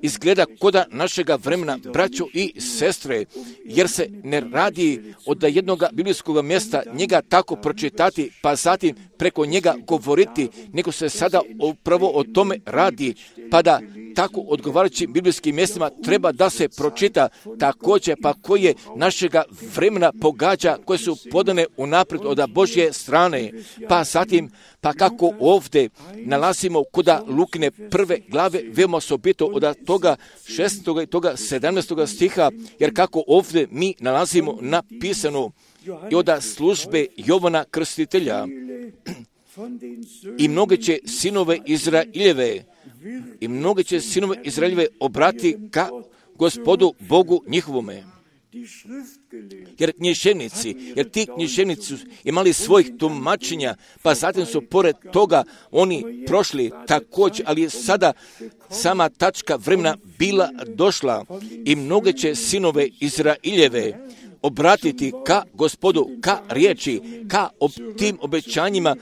Speaker 1: izgleda koda našega vremena, braćo i sestre, jer se ne radi od jednog biblijskog mjesta njega tako pročitati, pa zatim preko njega govoriti, nego se sada upravo o tome radi, pa da tako odgovarajućim biblijskim mjestima treba da se pročita također, pa koje našega vremena pogađa, koje su podane unaprijed od Božje strane, pa zatim, pa kako ovdje nalazimo kod Lukine prve glave, veoma osobito od toga 6. i toga 17. stiha, jer kako ovdje mi nalazimo napisano i od službe Jovana Krstitelja, i mnoge će sinove Izraeljeve obrati ka Gospodu Bogu njihovome. Jer ti književnici su imali svojih tumačenja, pa zatim su pored toga oni prošli također, ali je sada sama tačka vremena bila došla i mnoge će sinove Izraeljeve obratiti ka Gospodu, ka riječi, ka tim obećanjima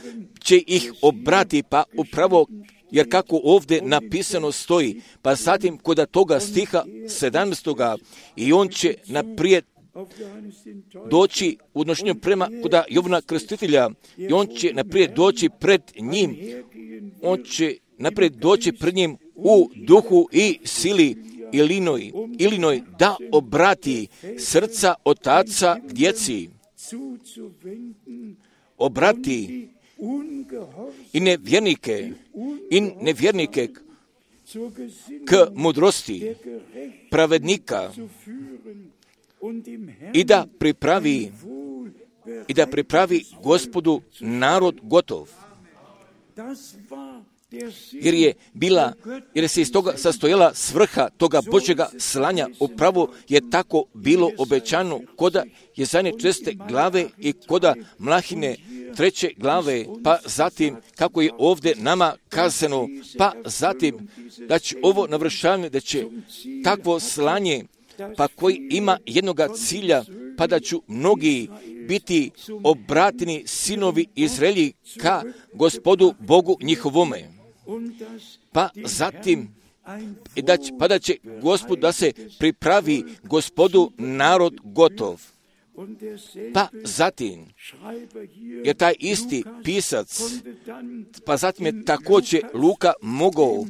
Speaker 1: će ih obrati, pa upravo jer kako ovdje napisano stoji, pa zatim kod toga stiha 17. i on će naprijed doći u odnošenju prema kuda Jovana Krstitelja i on će naprijed doći pred njim. On će naprijed doći pred njim u duhu i sili Ilinoj da obrati srca otaca k djeci. Obrati i nevjernike k mudrosti pravednika i da pripravi Gospodu narod gotov. Jer se iz toga sastojala svrha toga Božjega slanja. Upravo je tako bilo obećano koda Jezajne 4. glave i koda Mlahine 3. glave, pa zatim kako je ovdje nama kazano, pa zatim da će ovo navršavanje, da će takvo slanje, pa koji ima jednoga cilja, pa da ću mnogi biti obrateni sinovi Izraelji ka Gospodu Bogu njihovome. Pa zatim da će Gospod da se pripravi Gospodu narod gotov. Pa zatim, jer taj isti pisac, pa zatim je također Luka mogao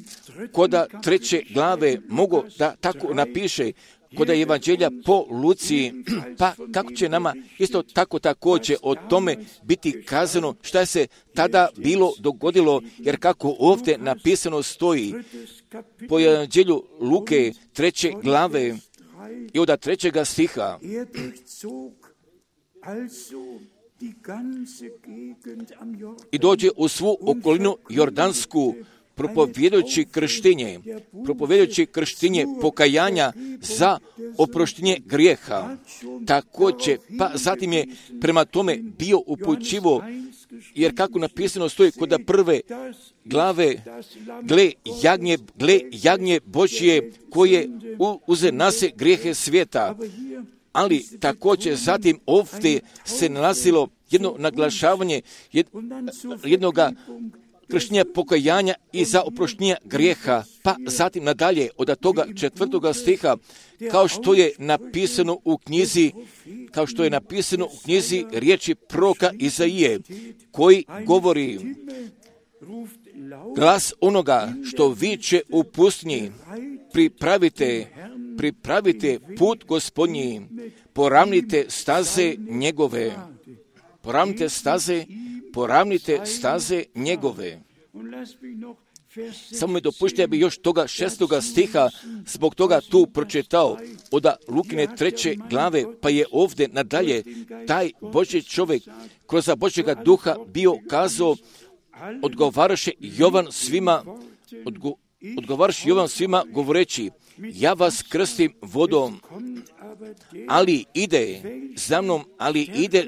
Speaker 1: koda 3. glave mogao da tako napiše koda je evanđelja po Luci, pa kako će nama isto tako također o tome biti kazano šta se tada bilo dogodilo, jer kako ovdje napisano stoji po evanđelju Luke 3. glave i od 3. stiha. I dođe u svu okolinu Jordansku, propovjedujući krštenje pokajanja za oproštenje grijeha. Također, pa zatim je prema tome bio upućivo, jer kako napisano stoji kod 1. glave, gle jagnje Božje koje uze nase grijehe svijeta. Ali također zatim ovdje se nalazilo jedno naglašavanje jednoga krštenja pokajanja i za oproštenje grijeha, pa zatim nadalje od toga 4. stiha, kao što je napisano u knjizi riječi proroka Izaije, koji govori: glas onoga što viče u pustinji, pripravite put Gospodnji, poravnite staze njegove. Poravnite staze njegove. Samo mi dopušte, ja bi još toga 6. stiha zbog toga tu pročitao od Lukine 3. glave, pa je ovdje nadalje taj Božji čovjek kroz Božjega duha bio kazao, odgovaraše Jovan svima govoreći: ja vas krstim vodom, ali ide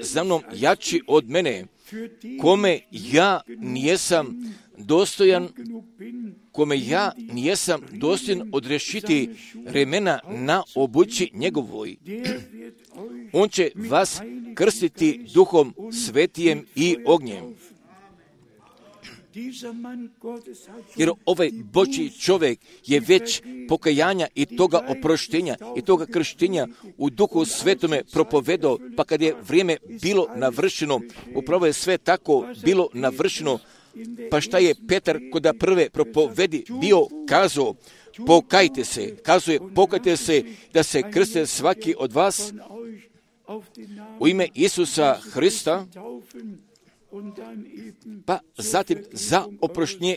Speaker 1: za mnom jači od mene, kome ja nijesam dostojan odrešiti remena na obući njegovoj. On će vas krstiti duhom svetijem i ognjem. Jer ovaj Božji čovjek je već pokajanja i toga oproštenja i toga krštenja u duhu svetome propovedao, pa kad je vrijeme bilo navršeno, upravo je sve tako bilo navršeno, pa šta je Petar kod prve propovedi bio kazao: pokajte se da se krste svaki od vas u ime Isusa Hrista, pa zatim za oproštenje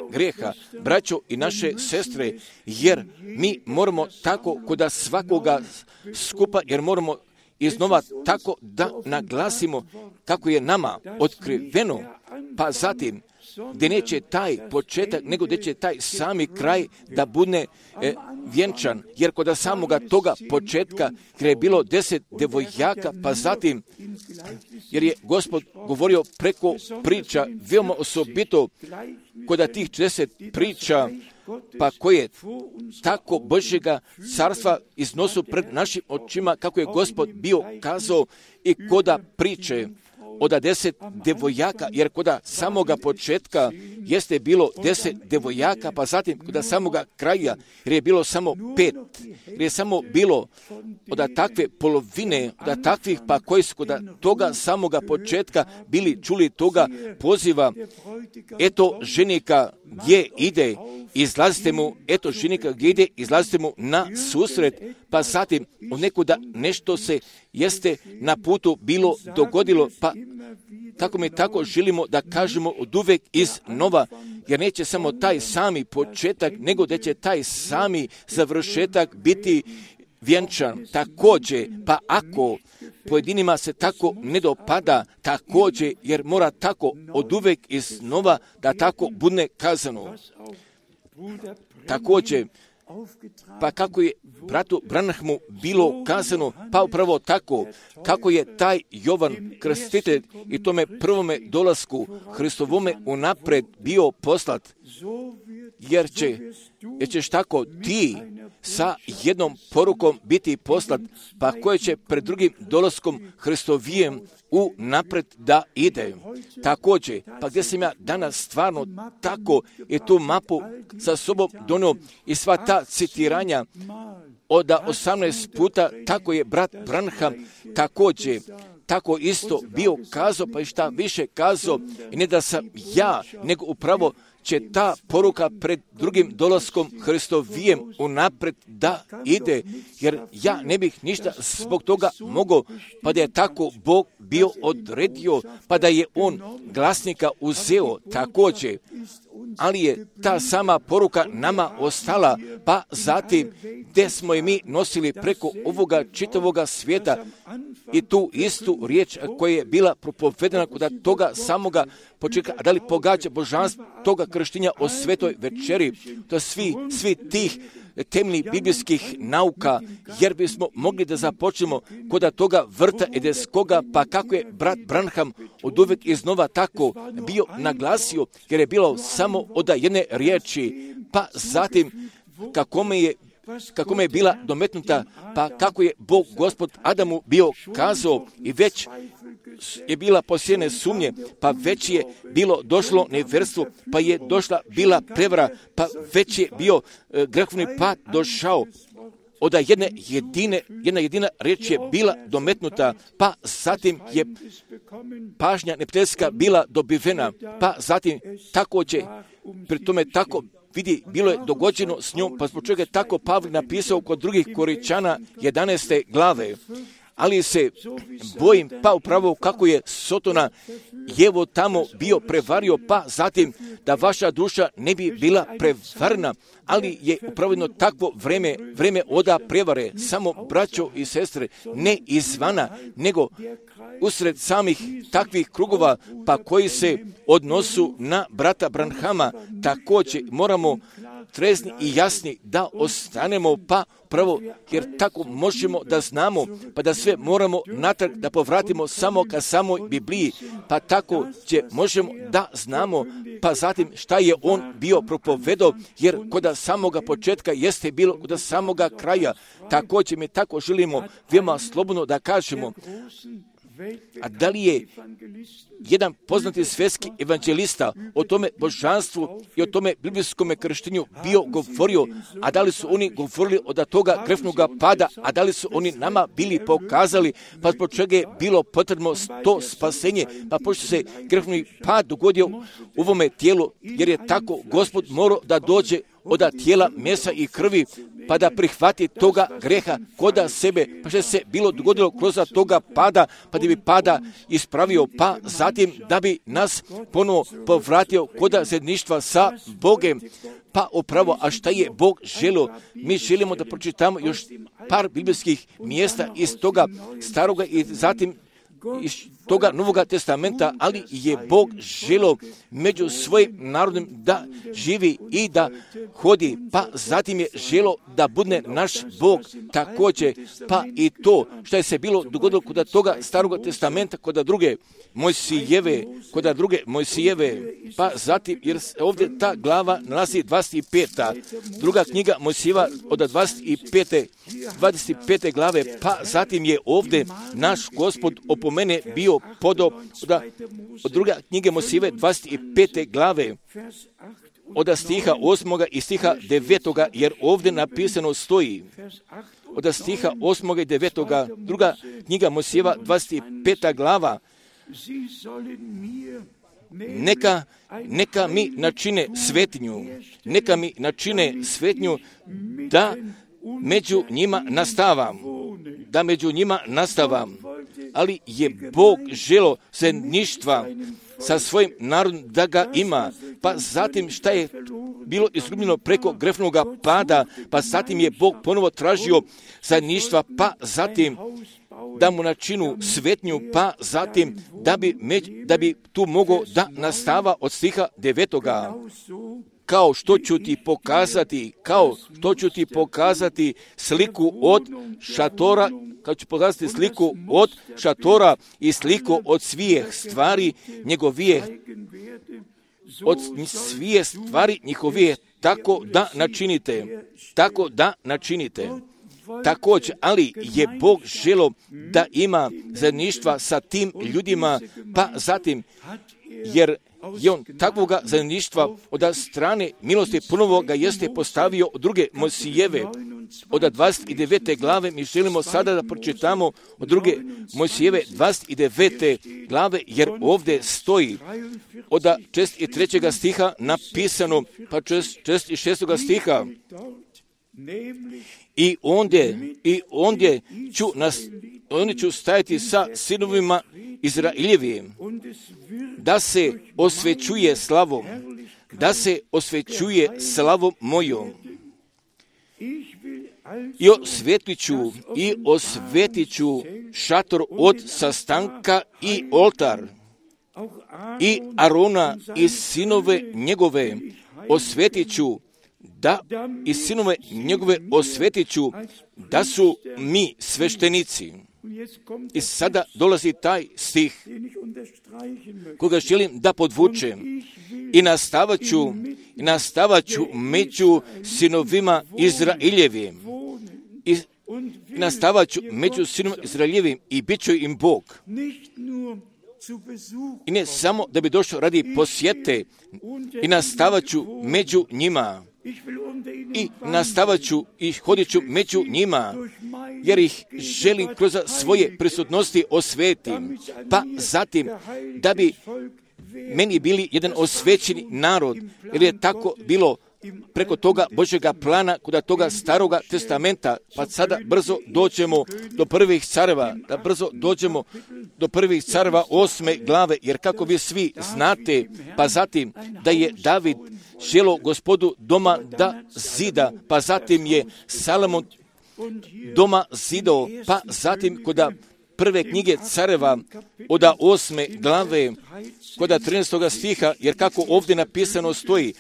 Speaker 1: grijeha, braćo i naše sestre, jer mi moramo tako kod svakoga skupa, jer moramo iznova tako da naglasimo kako je nama otkriveno, pa zatim gdje neće taj početak, nego gdje će taj sami kraj da bude vjenčan, jer kod samoga toga početka gdje je bilo 10 devojaka, pa zatim, jer je Gospod govorio preko priča, veoma osobito kod tih 10 priča, pa koje tako Božjega carstva iznosu pred našim očima, kako je Gospod bio kazao i koda priče od 10 devojaka, jer kod samoga početka jeste bilo 10 devojaka, pa zatim kod samoga kraja, jer je bilo samo 5, jer je samo bilo od takve polovine, od takvih pa koji su kod toga samoga početka bili čuli toga poziva, eto ženika gdje ide, izlazite mu, eto ženika gdje ide, izlazite mu na susret, pa zatim od nekuda nešto se jeste na putu bilo dogodilo, pa tako mi tako želimo da kažemo od uvek iznova, jer neće samo taj sami početak, nego da će taj sami završetak biti vjenčan. Također, pa ako pojedinima se tako ne dopada, također, jer mora tako od uvek iznova da tako bude kazano. Također, pa kako je bratu Branhamu bilo kazano, pa upravo tako, kako je taj Jovan Krstitelj i tome prvome dolasku Hristovome unapred bio poslat, jer ćeš tako ti sa jednom porukom biti poslat, pa koje će pred drugim dolaskom Hristovijem unapred da ide. Također, pa gdje sam ja danas stvarno tako je tu mapu sa sobom donio i sva ta citiranja od 18 puta, tako je brat Branham također tako isto bio kazao, pa i šta više kazao, i ne da sam ja, nego upravo će ta poruka pred drugim dolaskom Hristovijem unapred da ide, jer ja ne bih ništa zbog toga mogao, pa da je tako Bog bio odredio, pa da je On glasnika uzeo također, ali je ta sama poruka nama ostala, pa zatim gdje smo i mi nosili preko ovoga čitavoga svijeta i tu istu riječ koja je bila propovedena kod toga samoga početka, a da li pogađa božanstvo toga krštenja o svetoj večeri, to svi tih temeljnih biblijskih nauka, jer bismo mogli da započnemo kod toga vrta edeskoga, pa kako je brat Branham od uvek iznova tako bio naglasio, jer je bilo samo od jedne riječi, pa zatim kako me je bila dometnuta, pa kako je Bog Gospod Adamu bio kazao i već je bila posijene sumnje, pa već je bilo došlo nevjerstvo, pa je došla bila prevara, pa već je bio grehovni pad došao. Od jedna jedina riječ je bila dometnuta, pa zatim je pažnja neprijateljska bila dobivena, pa zatim tako će, pri tome tako vidi, bilo je dogođeno s njom, pa zbog čega je tako Pavle napisao kod drugih Koričana 11. glave. Ali se bojim, pa upravo kako je Sotona Jevo tamo bio prevario, pa zatim da vaša duša ne bi bila prevarna, ali je upravo jedno takvo vreme oda prevare, samo braćo i sestre, ne izvana, nego usred samih takvih krugova, pa koji se odnosu na brata Branhama, također moramo trezni i jasni da ostanemo, pa pravo, jer tako možemo da znamo, pa da sve moramo natrag da povratimo samo ka samoj Bibliji, pa tako možemo da znamo, pa zatim šta je on bio propovedao, jer kod samoga početka jeste bilo kod samoga kraja, također mi tako želimo veoma slobodno da kažemo. A da li je jedan poznati svjetski evanđelista o tome božanstvu i o tome biblijskom krštenju bio govorio, a da li su oni govorili od toga grefnog pada, a da li su oni nama bili pokazali, pa zbog čega je bilo potrebno to spasenje, pa pošto se grefni pad dogodio u ovome tijelu, jer je tako Gospod morao da dođe od tijela mesa i krvi, pa da prihvati toga greha koda sebe, pa što se bilo dogodilo kroz toga pada, pa da bi pada ispravio, pa zatim da bi nas ponovo povratio koda zajedništva sa Bogem. Pa upravo, a šta je Bog želio? Mi želimo da pročitamo još par biblijskih mjesta iz toga staroga i zatim iz toga Novoga testamenta, ali je Bog želio među svojim narodom da živi i da hodi, pa zatim je želio da bude naš Bog također, pa i to što je se bilo dogodilo kod toga Staroga testamenta, kod druge Mojsijeve, pa zatim, jer ovdje ta glava nalazi 25. Druga knjiga Mojsijeva od 25. glave, pa zatim je ovdje naš Gospod opomenuo mene bio podob od druga knjige Mojsijeve 25. glave, od stiha 8. i stiha 9. jer ovdje napisano stoji, od stiha 8. i 9. druga knjiga Mojsijeva 25. glava, neka mi načine svetinju, neka mi načine svetinju da među njima nastavam, ali je Bog želo zajedništva sa svojim narodom da ga ima, pa zatim šta je bilo izgubljeno preko grešnoga pada, pa zatim je Bog ponovo tražio zajedništva, pa zatim da mu načinu svetnju, pa zatim da bi tu mogao da nastava od stiha 9. Kao što ću ti pokazati sliku od šatora, kao ću pokazati sliku od šatora i sliku od svih stvari njihovije, tako da načinite. Također, ali je Bog želo da ima zajedništva sa tim ljudima, pa zatim, jer je on takvoga zajedništva od strane milosti ponovo ga jeste postavio od druge Mojsijeve, od 29. glave. Mi želimo sada da pročitamo od druge Mojsijeve 29. glave, jer ovdje stoji od 43. stiha napisano, pa 46. stiha, I ondje ću stajati sa sinovima Izraeljevim, da se osvećuje slavom mojom. I osvetit ću šator od sastanka i oltar, i Arona i sinove njegove osvetit ću, da su mi sveštenici. I sada dolazi taj stih koga želim da podvučem. I nastavat ću među sinovima Izraeljevim. I bit ću im Bog. I ne samo da bi došao radi posjete, i nastavat ću među njima. I nastavat ću i hodit ću među njima, jer ih želim kroz svoje prisutnosti osvetim, pa zatim da bi meni bili jedan osvećeni narod, jer je tako bilo preko toga Božjega plana, kod toga Staroga testamenta, pa sada brzo dođemo do prvih careva, do prvih careva 8. glave, jer kako vi svi znate, pa zatim da je David želo Gospodu doma da zida, pa zatim je Salomon doma zidao, pa zatim kod prve knjige careva od 8. glave, kod 13. stiha, jer kako ovdje napisano stoji,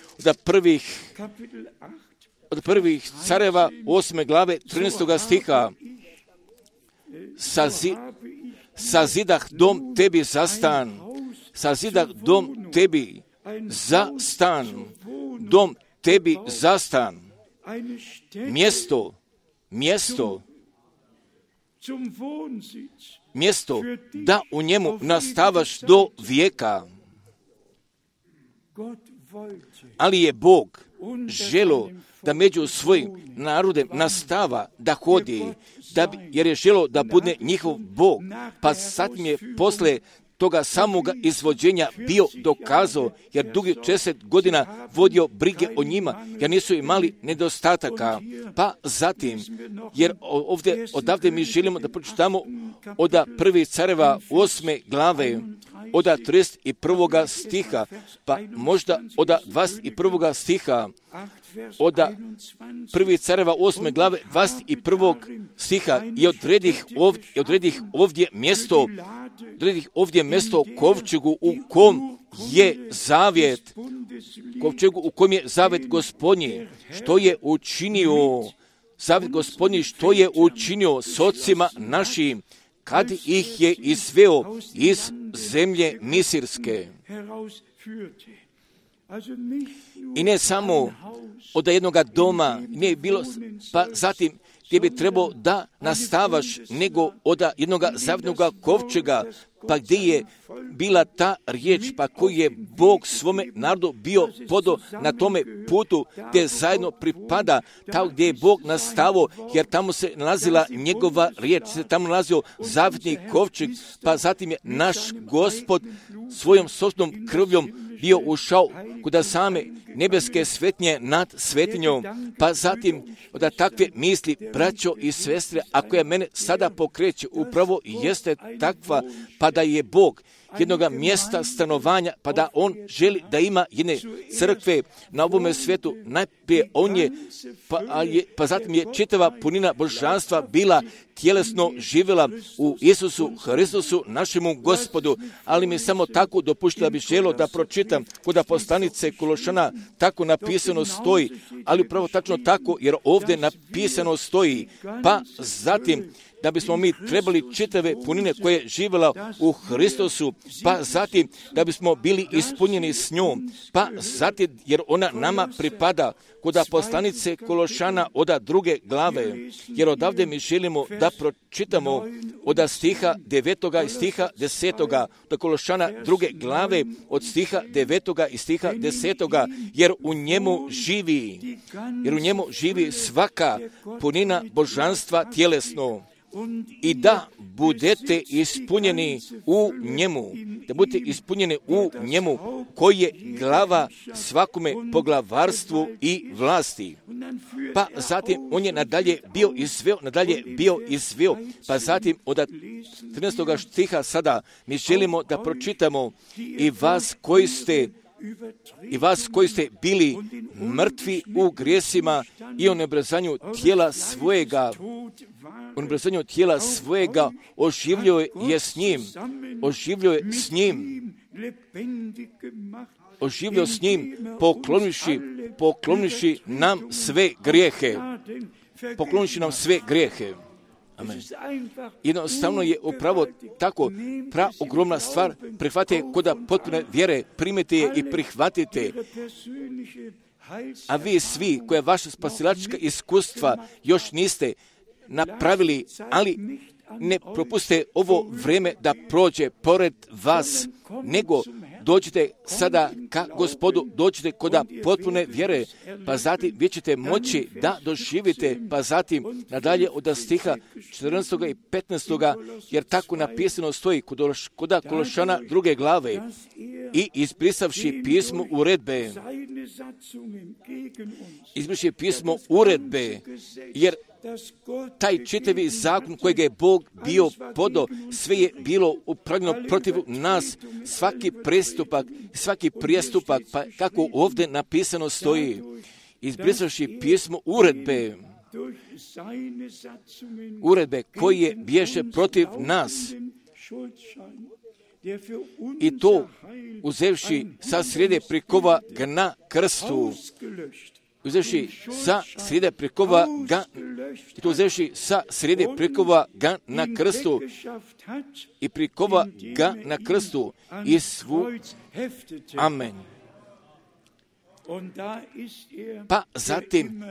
Speaker 1: od prvih careva 8. glave 13. stiha, sazidah dom tebi za stan, sazidah dom tebi za stan, dom tebi za stan, mjesto da u njemu nastavaš do vijeka. Ali je Bog želo da među svojim narodem nastava da hodi, jer je želo da bude njihov Bog, pa sad mi je posle toga samoga izvođenja bio dokazao, jer dugi 40 godina vodio brige o njima, jer nisu imali nedostataka. Pa zatim, jer odavde mi želimo da pročitamo od prvih careva 8. glave, od 31. stiha, pa možda od 21. stiha, od prvih careva 8. glave 21. stiha i odredih ovdje mjesto kovčegu u kom je zavjet Gospodnji, što je učinio, zavjet Gospodnji što je učinio s ocima našim, kad ih je izveo iz zemlje Misirske. I ne samo od jednoga doma, nije bilo, pa zatim gdje bi trebao da nastavaš nego od jednoga zavidnoga kovčega, pa gdje je bila ta riječ, pa koji je Bog svome narodu bio podo na tome putu gdje zajedno pripada, tamo gdje je Bog nastavo, jer tamo se nalazila njegova riječ, se tamo nalazio zavidni kovčeg, pa zatim je naš Gospod svojom sopstvenom krvljom bio ušao kuda same nebeske svetnje nad svetinjom, pa zatim od takve misli, braćo i sestre, ako je mene sada pokreće, upravo jeste takva, pa da je Bog jednoga mjesta stanovanja, pa da on želi da ima jedne crkve na ovome svijetu. Najprije on je, pa zatim je čitava punina božanstva bila tjelesno živjela u Isusu Hristusu, našemu Gospodu, ali mi samo tako dopuštila bi želo da pročitam kod poslanice Kološana, tako napisano stoji, ali upravo tačno tako, jer ovdje napisano stoji, pa zatim da bismo mi trebali čitave punine koje je živjela u Hristusu, pa zatim da bismo bili ispunjeni s njom, pa zatim jer ona nama pripada kod poslanice Kološana od 2. glave, jer odavde mi želimo da pročitamo od stiha 9. i stiha 10. do Kološana 2. glave od stiha 9. i stiha 10. jer u njemu živi svaka punina božanstva tjelesno. I da budete ispunjeni u njemu, koji je glava svakome poglavarstvu i vlasti. Pa zatim on je nadalje bio izveo, pa zatim od 13. stiha sada mi želimo da pročitamo i vas koji ste bili mrtvi u grijesima i o neobrazanju tijela svojega oživljio je s njim, poklonivši nam sve grijehe. Amen. Jednostavno je upravo tako ogromna stvar, prihvatite kod potpune vjere, primite je i prihvatite. A vi svi koje vaše spasilačka iskustva još niste napravili, ali ne propuste ovo vrijeme da prođe pored vas, nego dođite sada ka Gospodu, dođite kod potpune vjere, pa zatim vi ćete moći da doživite, pa zatim nadalje od stiha 14. i 15. jer tako napisano stoji kod Kološana 2. glave i izbrisavši pismo uredbe, jer taj čitavi zakon kojeg je Bog bio podo, sve je bilo upravljeno protiv nas, svaki prijestupak, pa kako ovdje napisano stoji, izbrisavši pismo uredbe koje bješe protiv nas, i to uzevši sa srijede prikova ga na krstu, i prikova ga na krstu i Amen. Pa zatim,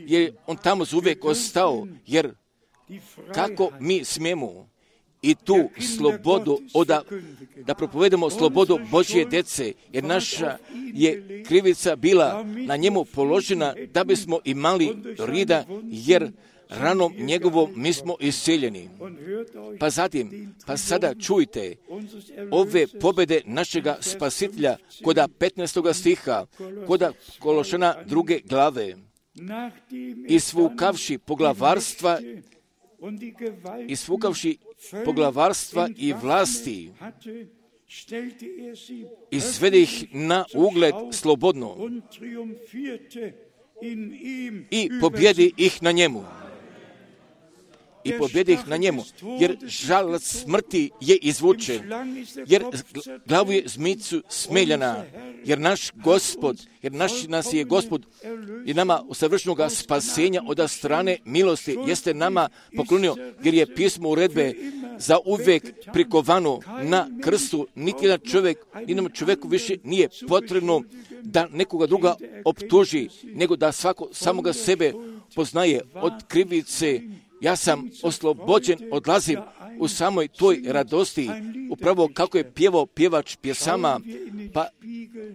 Speaker 1: jer on tamo uvijek ostao, jer kako mi smijemo i tu slobodu da propovedemo slobodu Božje djece, jer naša je krivica bila na njemu položena da bismo imali rida, jer ranom njegovom mi smo isceljeni. Pa zatim, pa sada čujte ove pobjede našega Spasitelja kod 15. stiha, kod Kološana 2. glave. Isvukavši poglavarstva i vlasti, izvede ih na ugled slobodno i pobjedi ih na njemu. Jer žalac smrti je izvučen, jer glavu je zmicu smeljana, jer nas je Gospod i nama u savršenoga spasenja od strane milosti jeste nama poklonio, jer je pismo uredbe za uvijek prikovano na krstu. Niti jedan čovjeku više nije potrebno da nekoga druga optuži, nego da svako samoga sebe poznaje od krivice, ja sam oslobođen, odlazim u samoj toj radosti, upravo kako je pjevao pjevač pjesama,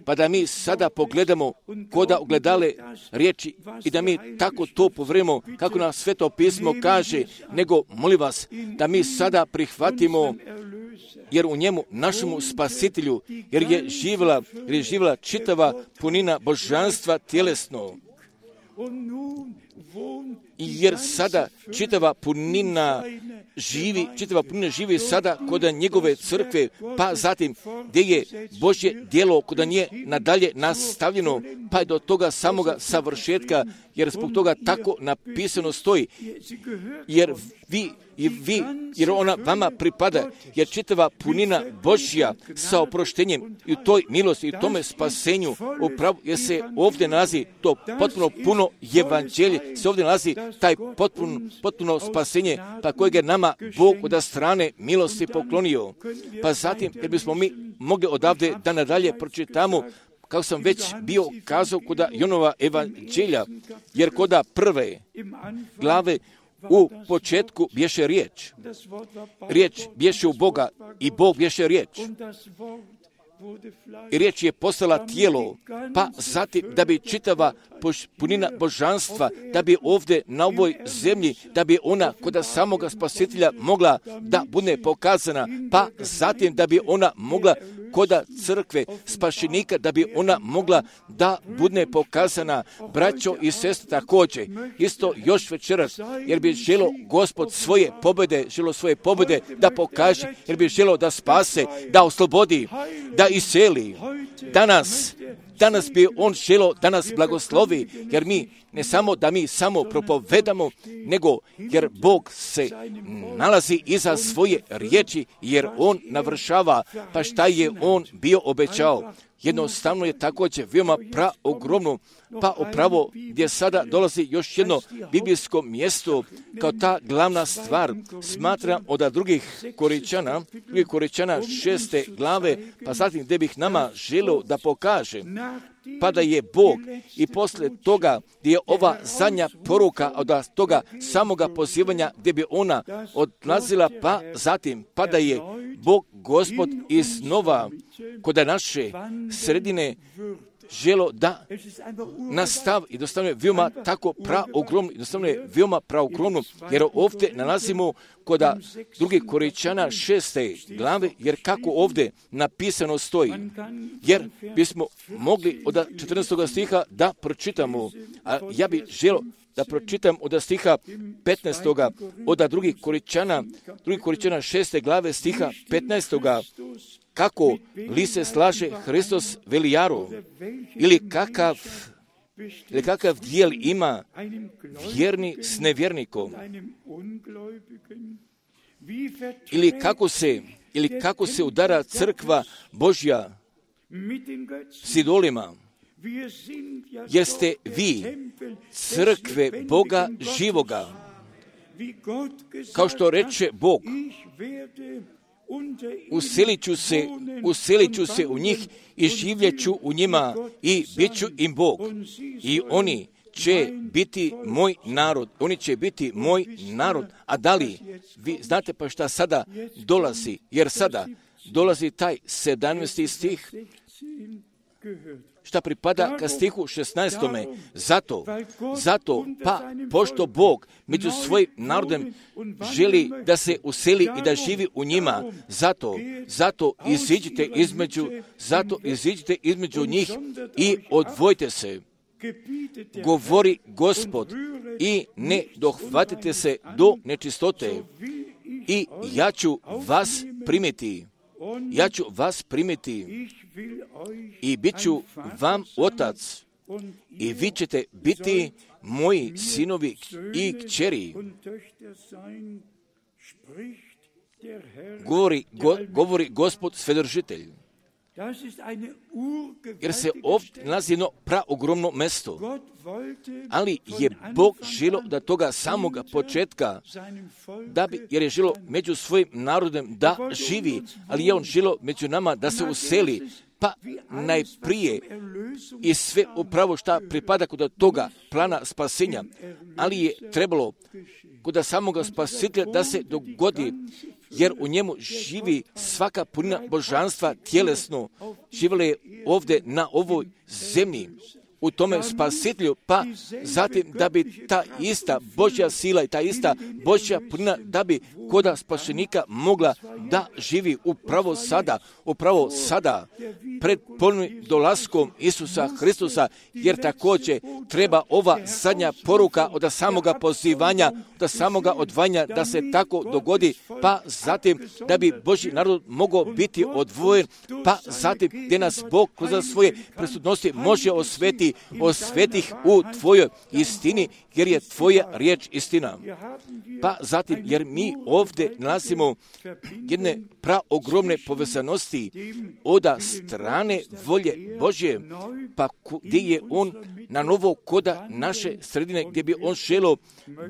Speaker 1: pa da mi sada pogledamo koda ogledale riječi i da mi tako to povremo, kako nam Sveto pismo kaže, nego molim vas da mi sada prihvatimo, jer u njemu, našemu Spasitelju, jer je živjela čitava punina božanstva tjelesno. Jer sada čitava punina živi sada kod njegove crkve, pa zatim gdje je Božje djelo kod nje nadalje nastavljeno, pa je do toga samoga savršetka, jer zbog toga tako napisano stoji, jer jer ona vama pripada, jer čitava punina Božja sa oproštenjem i u toj milosti i u tome spasenju, upravo jer se ovdje nalazi to potpuno puno evanđelje, se ovdje nalazi taj potpuno spasenje, pa kojeg je nama Bog od strane milosti poklonio. Pa zatim, jer bismo mi mogli odavde da nadalje pročitamo, kako sam već bio kazao kod Jonova evanđelja, jer kod prve glave u početku bješe riječ. Riječ bješe u Boga i Bog bješe riječ. I riječ je postala tijelo, pa zatim da bi čitava punina božanstva, da bi ovdje na ovoj zemlji, da bi ona kod samoga Spasitelja mogla da bude pokazana, pa zatim da bi ona mogla kod crkve spašenika, da bi ona mogla da bude pokazana, braćo i sestre također. Isto još večeras, jer bi želo Gospod svoje pobjede da pokaže, jer bi želo da spase, da oslobodi, da iseli. Danas bi on želo da nas blagoslovi, jer mi ne samo da mi samo propovedamo, nego jer Bog se nalazi iza svoje riječi, jer on navršava, pa šta je on bio obećao. Jednostavno je također veoma praogromno, pa upravo gdje sada dolazi još jedno biblijsko mjesto kao ta glavna stvar. Smatram od drugih Koričana 6. glave, pa zatim gdje bih nama želio da pokaže, pa da je Bog i poslije toga gdje je ova zadnja poruka od toga samoga pozivanja gdje bi ona odlazila, pa zatim pa da je Bog Gospod iznova kod naše sredine želo da nastavi i dostavno je veoma tako veoma praogromno, jer ovdje nalazimo kod drugih Koričana 6. glave, jer kako ovdje napisano stoji, jer bismo mogli od 14. stiha da pročitamo, a ja bih želo da pročitam od stiha 15. od drugih Koričana 6. glave stiha 15. kako li se slaže Hristos velijaru, ili kakav dijel ima vjerni s nevjernikom, ili kako se udara crkva Božja s idolima. Jeste vi crkve Boga živoga, kao što reče Bog, uselit ću se u njih i živjet ću u njima i bit ću im Bog. I oni će biti moj narod. A da li vi znate pa šta sada dolazi? Jer sada dolazi taj 17. stih, šta pripada ka stihu 16. Zato, pa pošto Bog među svojim narodom želi da se useli i da živi u njima, zato iziđite između njih i odvojite se, govori Gospod, i ne dohvatite se do nečistote, i ja ću vas primiti i bit ću vam otac, i vi ćete biti moji sinovi i kćeri. Govori Gospod Svedržitelj. Jer se ovdje nalazi jedno praogromno mesto. Ali je Bog želio da toga samoga početka, jer je želio među svojim narodom da živi, ali je on želio među nama da se useli, pa najprije i sve upravo šta pripada kod toga plana spasenja, ali je trebalo kod samoga spasitelja da se dogodi, jer u njemu živi svaka punina božanstva tjelesno, živjela je ovdje na ovoj zemlji, u tome spasitelju, pa zatim da bi ta ista Božja sila i ta ista Božja punina, da bi koda spašenika mogla da živi upravo sada, pred ponovnim dolaskom Isusa Hristusa, jer također treba ova zadnja poruka od samoga pozivanja, od samoga odvajanja da se tako dogodi, pa zatim da bi Božji narod mogao biti odvojen, pa zatim gdje nas Bog kroz svoje presudnosti može osvetih u tvojoj istini, jer je tvoja riječ istina. Pa zatim, jer mi ovdje nalazimo jedne praogromne povezanosti od strane volje Božje, pa gdje je on na novo koda naše sredine, gdje bi on želio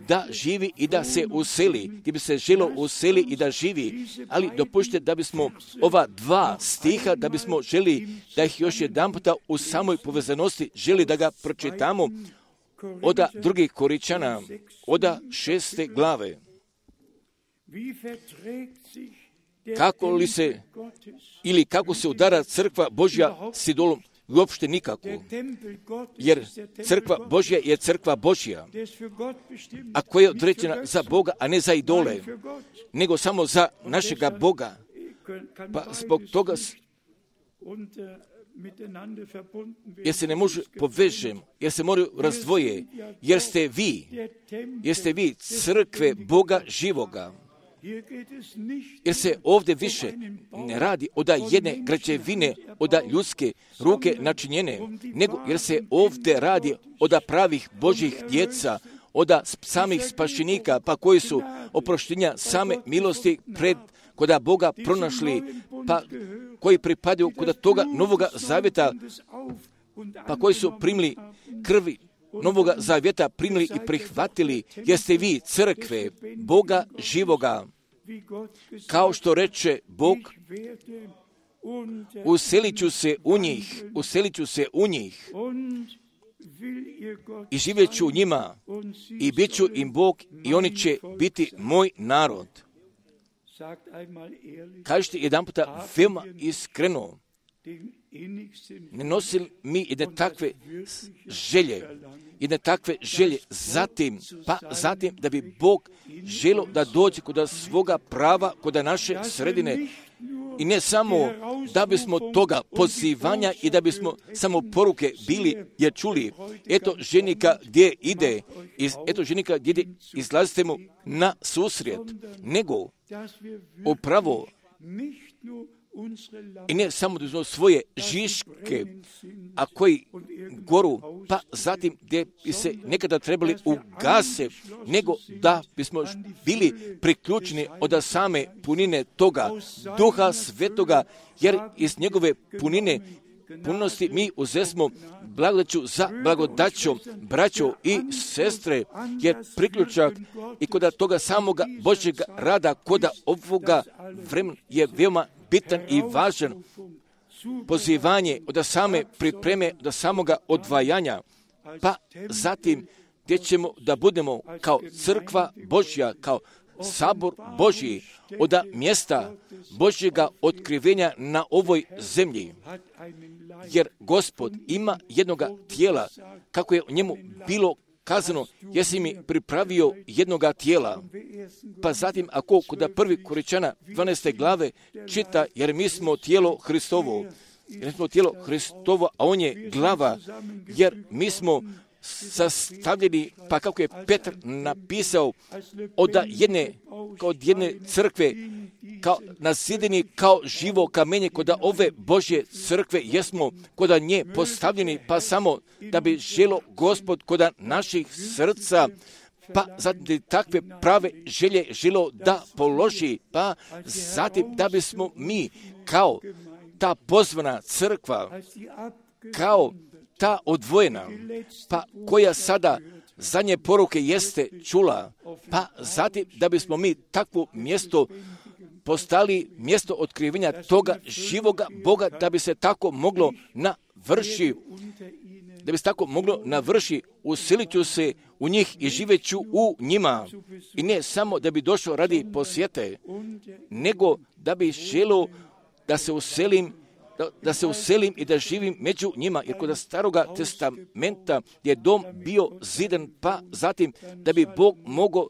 Speaker 1: da živi i da se useli, gdje bi se želio useli i da živi, ali dopušte da bismo ova dva stiha, da bismo želi da ih još jedan puta u samoj povezanosti želi da ga pročitamo od 2. Korinčana, od 6. glave. Kako li se, ili kako se udara crkva Božja s idolom? Uopšte nikako. Jer crkva Božja je crkva Božja, a koja je određena za Boga, a ne za idole, nego samo za našega Boga. Pa zbog toga jer se ne može povežem, jer se moraju razdvoje, jer ste vi crkve Boga živoga. Jer se ovdje više ne radi od jedne građevine, od ljudske ruke načinjene, nego jer se ovdje radi od pravih Božjih djeca, od samih spašenika, pa koji su oproštenja same milosti koda Boga pronašli, pa koji pripadaju kod toga Novoga Zavjeta, pa koji su primili krvi Novoga Zavjeta, primili i prihvatili, jeste vi crkve Boga živoga. Kao što reče Bog, uselit ću se u njih i živjet ću u njima i bit ću im Bog i oni će biti moj narod. Kažete jedan puta veoma iskreno, ne nosili mi jedne takve želje zatim da bi Bog želio da dođe kod svoga prava, kod naše sredine, i ne samo da bismo toga pozivanja i da bismo samo poruke bili je čuli. Eto ženika gdje ide, izlazite mu na susret, nego upravo i ne samo da uzmemo svoje žiške, a koji goru, pa zatim gdje bi se nekada trebali ugase, nego da bismo bili priključeni od same punine toga Duha Svetoga, jer iz njegove punosti mi uzesmo blagodaću za blagodaćom, braćo i sestre, jer priključak i kod toga samoga Božjega rada, kod ovoga vremena je veoma bitan i važan. Pozivanje od same pripreme do samoga odvajanja, pa zatim gdje ćemo da budemo kao crkva Božja, kao sabor Božji, od mjesta Božjega otkrivenja na ovoj zemlji. Jer Gospod ima jednoga tijela, kako je o njemu bilo kazano, jesi mi pripravio jednoga tijela. Pa zatim, ako kod 1. Korinčana 12. glave čita, jer mi smo tijelo Hristovo, a on je glava, jer mi smo sastavljeni, pa kako je Petar napisao, od jedne crkve, nasideni kao živo kamenje, kod ove Božje crkve jesmo kod nje postavljeni, pa samo da bi želo Gospod kod naših srca, pa zatim takve prave želje želo da položi, pa zatim da bismo mi kao ta pozvana crkva, kao ta odvojena, pa koja sada zadnje poruke jeste čula, pa zatim da bismo mi takvo mjesto postali mjesto otkrivenja toga živoga Boga, da bi se tako moglo navrši, usilit ću se u njih i živjet ću u njima. I ne samo da bi došao radi posjete, nego da bi želio da se uselim i da živim među njima, jer kod Staroga testamenta je dom bio zidan, pa zatim da bi Bog mogao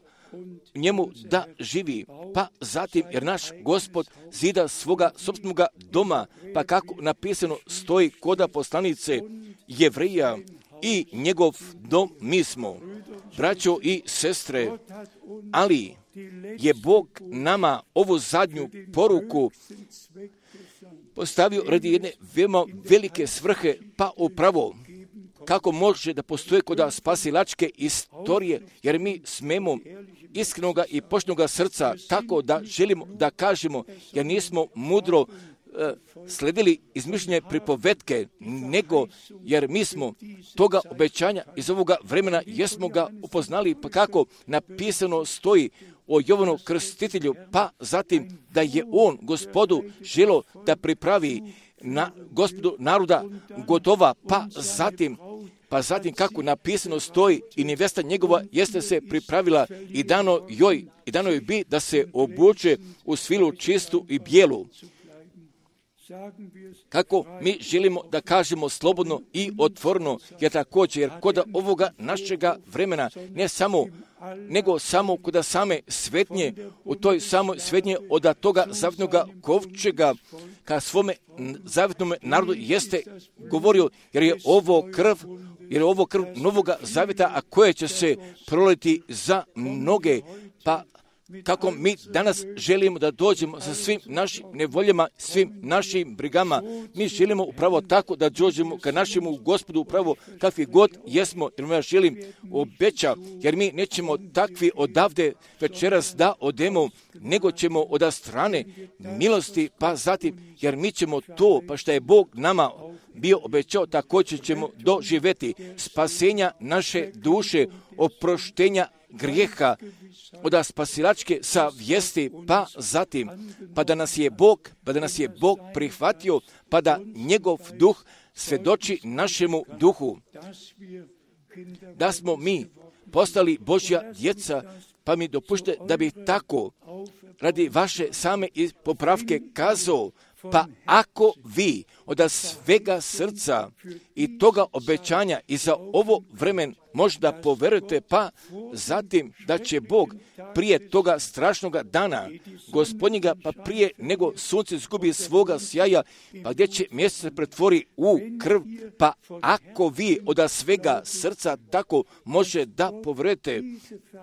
Speaker 1: njemu da živi, pa zatim jer naš Gospod zida svoga sopstvenoga doma, pa kako napisano stoji koda poslanice Jevrija, i njegov dom mi smo, braćo i sestre, ali je Bog nama ovu zadnju poruku postavio radi jedne veoma velike svrhe, pa upravo kako može da postoje kod spasilačke istorije, jer mi smemo iskrenoga i poštenoga srca tako da želimo da kažemo, jer nismo mudro sledili izmišljene pripovetke, nego jer mi smo toga obećanja iz ovoga vremena jesmo ga upoznali, pa kako napisano stoji o Jovanu Krstitelju, pa zatim da je on Gospodu želo da pripravi na Gospodu naroda gotova, pa zatim kako napisano stoji i nevesta njegova jeste se pripravila i dano joj bi da se obuče u svilu čistu i bijelu. Kako mi želimo da kažemo slobodno i otvoreno, jer također, jer kod ovoga našega vremena, ne samo, nego samo kod same svetnje, u toj samoj svetnje od toga zavjetnoga kovčega, ka svome zavjetnome narodu jeste govorio, jer je ovo krv novoga zavjeta, a koje će se proliti za mnoge, pa kako mi danas želimo da dođemo sa svim našim nevoljama, svim našim brigama. Mi želimo upravo tako da dođemo ka našemu Gospodu upravo kakvi god jesmo, jer ja želim obeća, jer mi nećemo takvi odavde večeras da odemo, nego ćemo od strane milosti, pa zatim, jer mi ćemo to, pa što je Bog nama bio obećao, također ćemo doživjeti spasenja naše duše, oproštenja grijeha, od spasilačke savjesti, pa zatim, pa da nas je Bog prihvatio, pa da njegov duh svjedoči našemu duhu, da smo mi postali Božja djeca, pa mi dopušte da bi tako radi vaše same popravke kazao, pa ako vi od svega srca i toga obećanja i za ovo vremen možda poverujete, pa zatim da će Bog prije toga strašnoga dana Gospodnjega, pa prije nego sunce izgubi svoga sjaja, pa gdje će mjesec se pretvori u krv, pa ako vi od svega srca tako može da poverujete,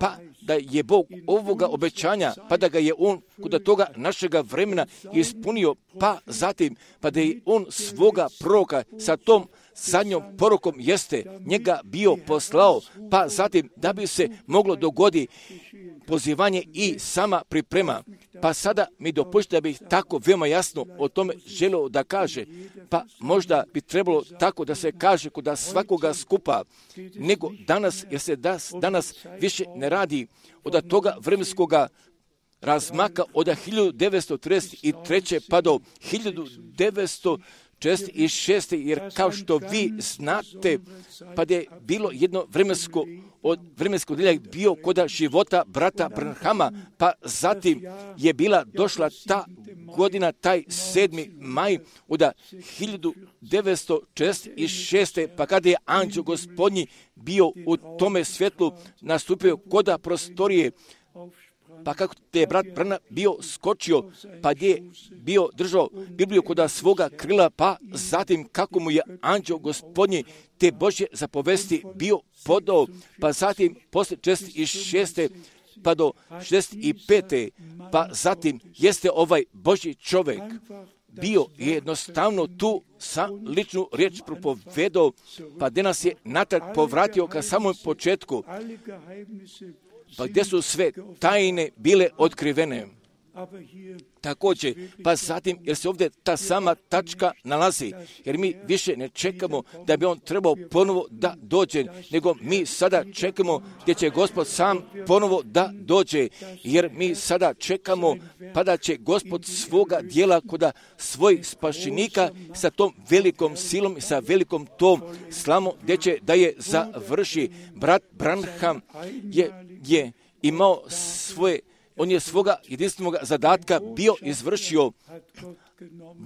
Speaker 1: pa da je Bog ovoga obećanja, pa da ga je on kod toga našega vremena ispunio, pa zatim, pa da je on svoga proroka sa tom zadnjom porukom jeste njega bio poslao, pa zatim da bi se moglo dogodi pozivanje i sama priprema. Pa sada mi dopušta da bih tako veoma jasno o tome želio da kaže, pa možda bi trebalo tako da se kaže kod svakoga skupa, nego danas, jer se danas više ne radi od toga vremenskoga razmaka od 1933. pa do 1946. jer kao što vi znate, pa je bilo jedno vremensko delje bio kod života brata Branhama, pa zatim je bila došla ta godina, taj 7. maj od 1946. pa kada je anđeo Gospodnji bio u tome svjetlu nastupio kod prostorije, pa kako te je brat Branham bio skočio, pa je bio držao Bibliju kod svoga krila, pa zatim kako mu je anđeo Gospodnji te Božje zapovesti bio podao, pa zatim posle 66. pa do 65. pa zatim jeste ovaj Božji čovjek bio jednostavno tu sa ličnu riječ propovedao, pa gdje nas je natrag povratio ka samom početku, pa gdje su sve tajne bile otkrivene. također, pa zatim, jer se ovdje ta sama tačka nalazi, jer mi više ne čekamo da bi on trebao ponovo da dođe, nego mi sada čekamo gdje će Gospod sam ponovo da dođe, jer mi sada čekamo pa da će Gospod svoga dijela koda svojih spašenika sa tom velikom silom i sa velikom tom slamom gdje će da je završi. Brat Branham je imao svoje, on je svoga jedinstvenog zadatka bio izvršio.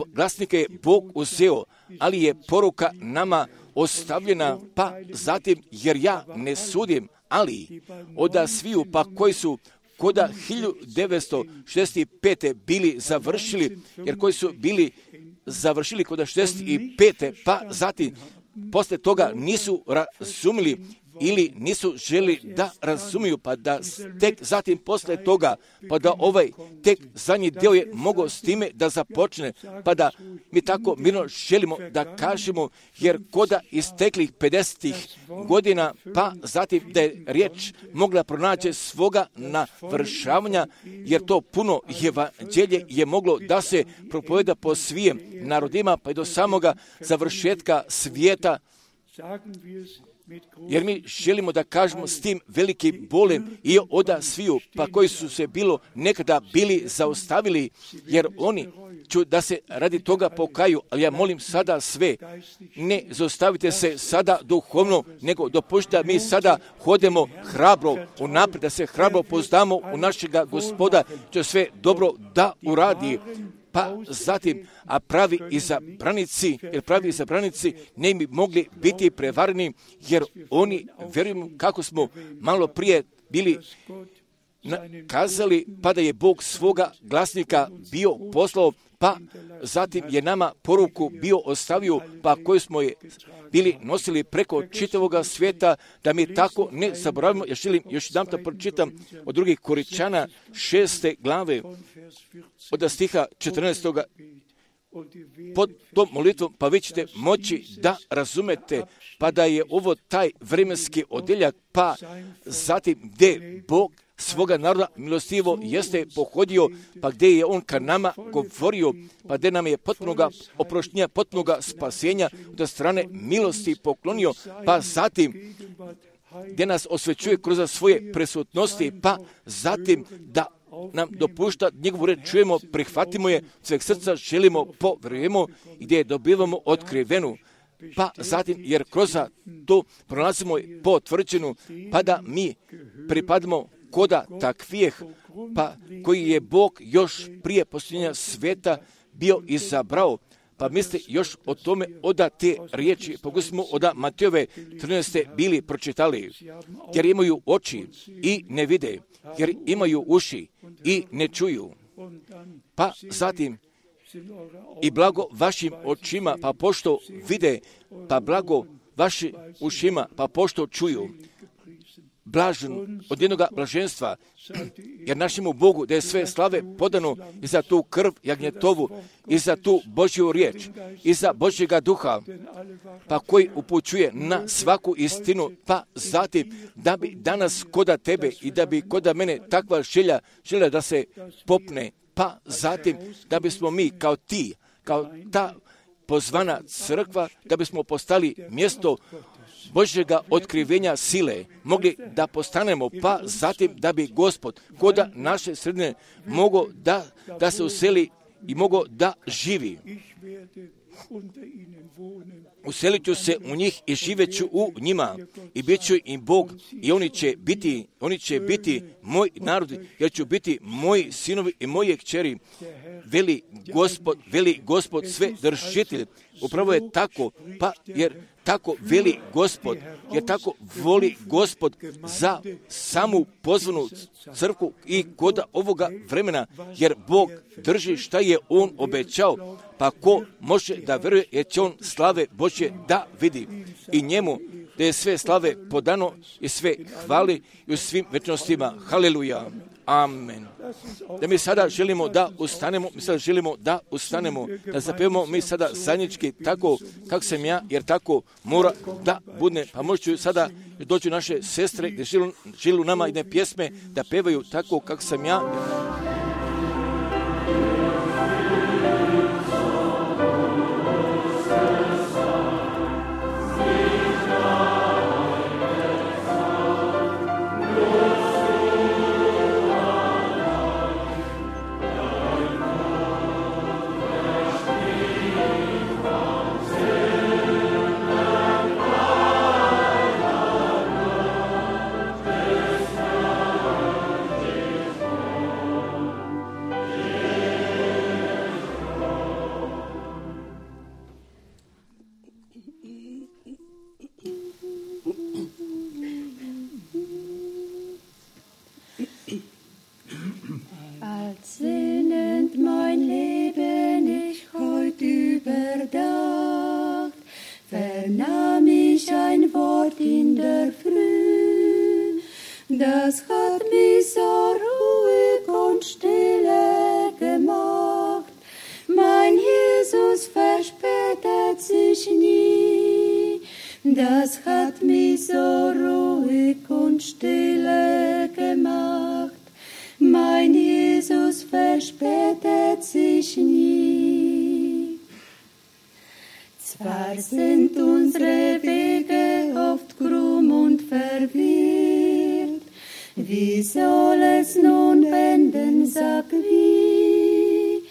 Speaker 1: Glasnike je Bog uzeo, ali je poruka nama ostavljena, pa zatim, jer ja ne sudim, ali od sviju, pa koji su koda 1965. bili završili, jer koji su bili završili koda 65. pa zatim, posle toga nisu razumili ili nisu želi da razumiju, pa da tek zatim posle toga, pa da ovaj tek zadnji dio je mogao s time da započne, pa da mi tako mirno želimo da kažemo, jer koda isteklih 50. godina, pa zatim da je riječ mogla pronaći svoga navršavanja, jer to puno evanđelje je moglo da se propoveda po svim narodima, pa i do samoga završetka svijeta, jer mi želimo da kažemo s tim velikim bolem i od sviju, pa koji su se bilo nekada bili zaustavili, jer oni ću da se radi toga pokaju, ali ja molim sada sve, ne zaustavite se sada duhovno, nego dopustite da mi sada hodemo hrabro unaprijed, da se hrabro poznamo u našega Gospoda, će sve dobro da uradi. Pa zatim, a pravi izabranici ne bi mogli biti prevareni, jer oni, vjerujemo kako smo malo prije bili kazali, pa da je Bog svoga glasnika bio poslao, pa zatim je nama poruku bio ostavio, pa koju smo je bili nosili preko čitavoga svijeta, da mi tako ne zaboravimo. Ja želim još jedan da pročitam od drugih Koričana 6. glave, od stiha 14. Pod tom molitvom, pa vi ćete moći da razumete, pa da je ovo taj vremenski odjeljak, pa zatim gdje Bog svoga naroda milostivo jeste pohodio, pa gdje je on ka nama govorio, pa gdje nam je potpunoga oproštenja, potpunoga spasenja od strane milosti poklonio, pa zatim gdje nas osvećuje kroz svoje prisutnosti, pa zatim da nam dopušta njegovu reč čujemo, prihvatimo je, sveg srca želimo, povjerujemo i gdje je dobivamo otkrivenu. Pa zatim, jer kroz to pronalazimo potvrđenu, pa da mi pripadamo koda takvijeh, pa koji je Bog još prije posljednja svijeta bio izabrao. Pa mislite još o tome oda te riječi, pogotovo smo oda Matejove 13. bili pročitali, jer imaju oči i ne vide, jer imaju uši i ne čuju. Pa zatim, i blago vašim očima, pa pošto vide, pa blago vašim ušima, pa pošto čuju. Blažen od jednoga blaženstva, jer našemu Bogu da je sve slave podano i za tu krv jagnjetovu, i za tu Božju riječ, i za Božjega duha, pa koji upućuje na svaku istinu, pa zatim da bi danas koda tebe i da bi koda mene takva želja da se popne, pa zatim da bismo mi kao ta pozvana crkva, da bismo postali mjesto Božjega otkrivenja sile, mogli da postanemo, pa zatim da bi Gospod koda naše sredine mogao da se useli i mogao da živi. Uselit ću se u njih i živjet ću u njima i bit ću im Bog i oni će biti moj narod, jer ću biti moji sinovi i moje kćeri. Veli Gospod sve držitelj. Upravo je tako, pa jer tako veli Gospod, jer tako voli Gospod za samu pozvanu crkvu i kod ovoga vremena, jer Bog drži šta je On obećao, pa ko može da veruje, jer će on slave Božje da vidi. I njemu da je sve slave podano i sve hvali i u svim večnostima. Haleluja. Amen. Da mi sada želimo da ustanemo, da zapevamo mi sada zajednički tako kako sam ja, jer tako mora da bude. Pa možete sada doći naše sestre gdje žilu nama jedne pjesme da pevaju tako kako sam ja.
Speaker 3: Das hat mich so ruhig und stille gemacht. Mein Jesus verspätet sich nie. Zwar sind unsere Wege oft krumm und verwirrt, wie soll es nun enden, sag wie?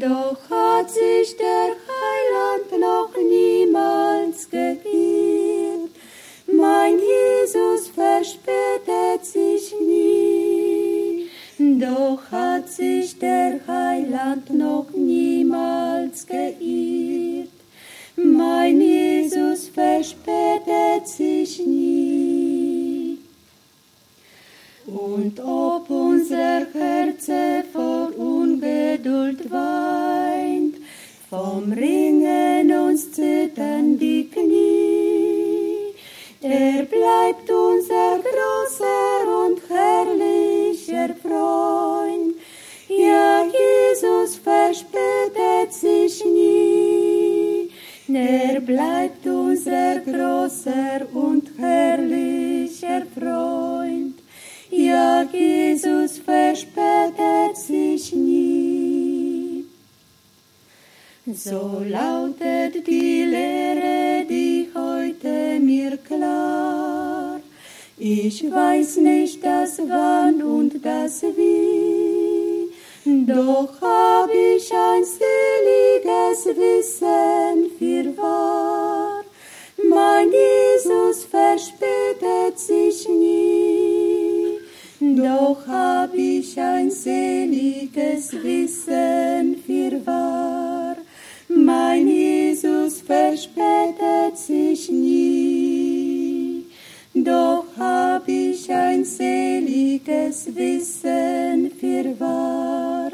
Speaker 3: Doch hat sich der Heiland noch niemals geirrt. Mein Jesus verspätet sich nie. Doch hat sich der Heiland noch niemals geirrt. Mein Jesus verspätet sich nie. Und ob unser Herz vor Ungeduld weint, vom Ringen uns zittern die Knie, er bleibt unser großer und herrlicher Freund. Ja, Jesus verspätet sich nie. Er bleibt unser großer und herrlicher Freund. Ja, Jesus verspätet sich nie. So lautet die Lehre, die heute mir klar. Ich weiß nicht das Wann und das Wie, doch hab ich ein seliges Wissen fürwahr. Mein Jesus verspätet sich nie, doch hab ich ein seliges Wissen fürwahr. Mein Jesus verspätet sich nie, doch hab ich ein seliges Wissen fürwahr.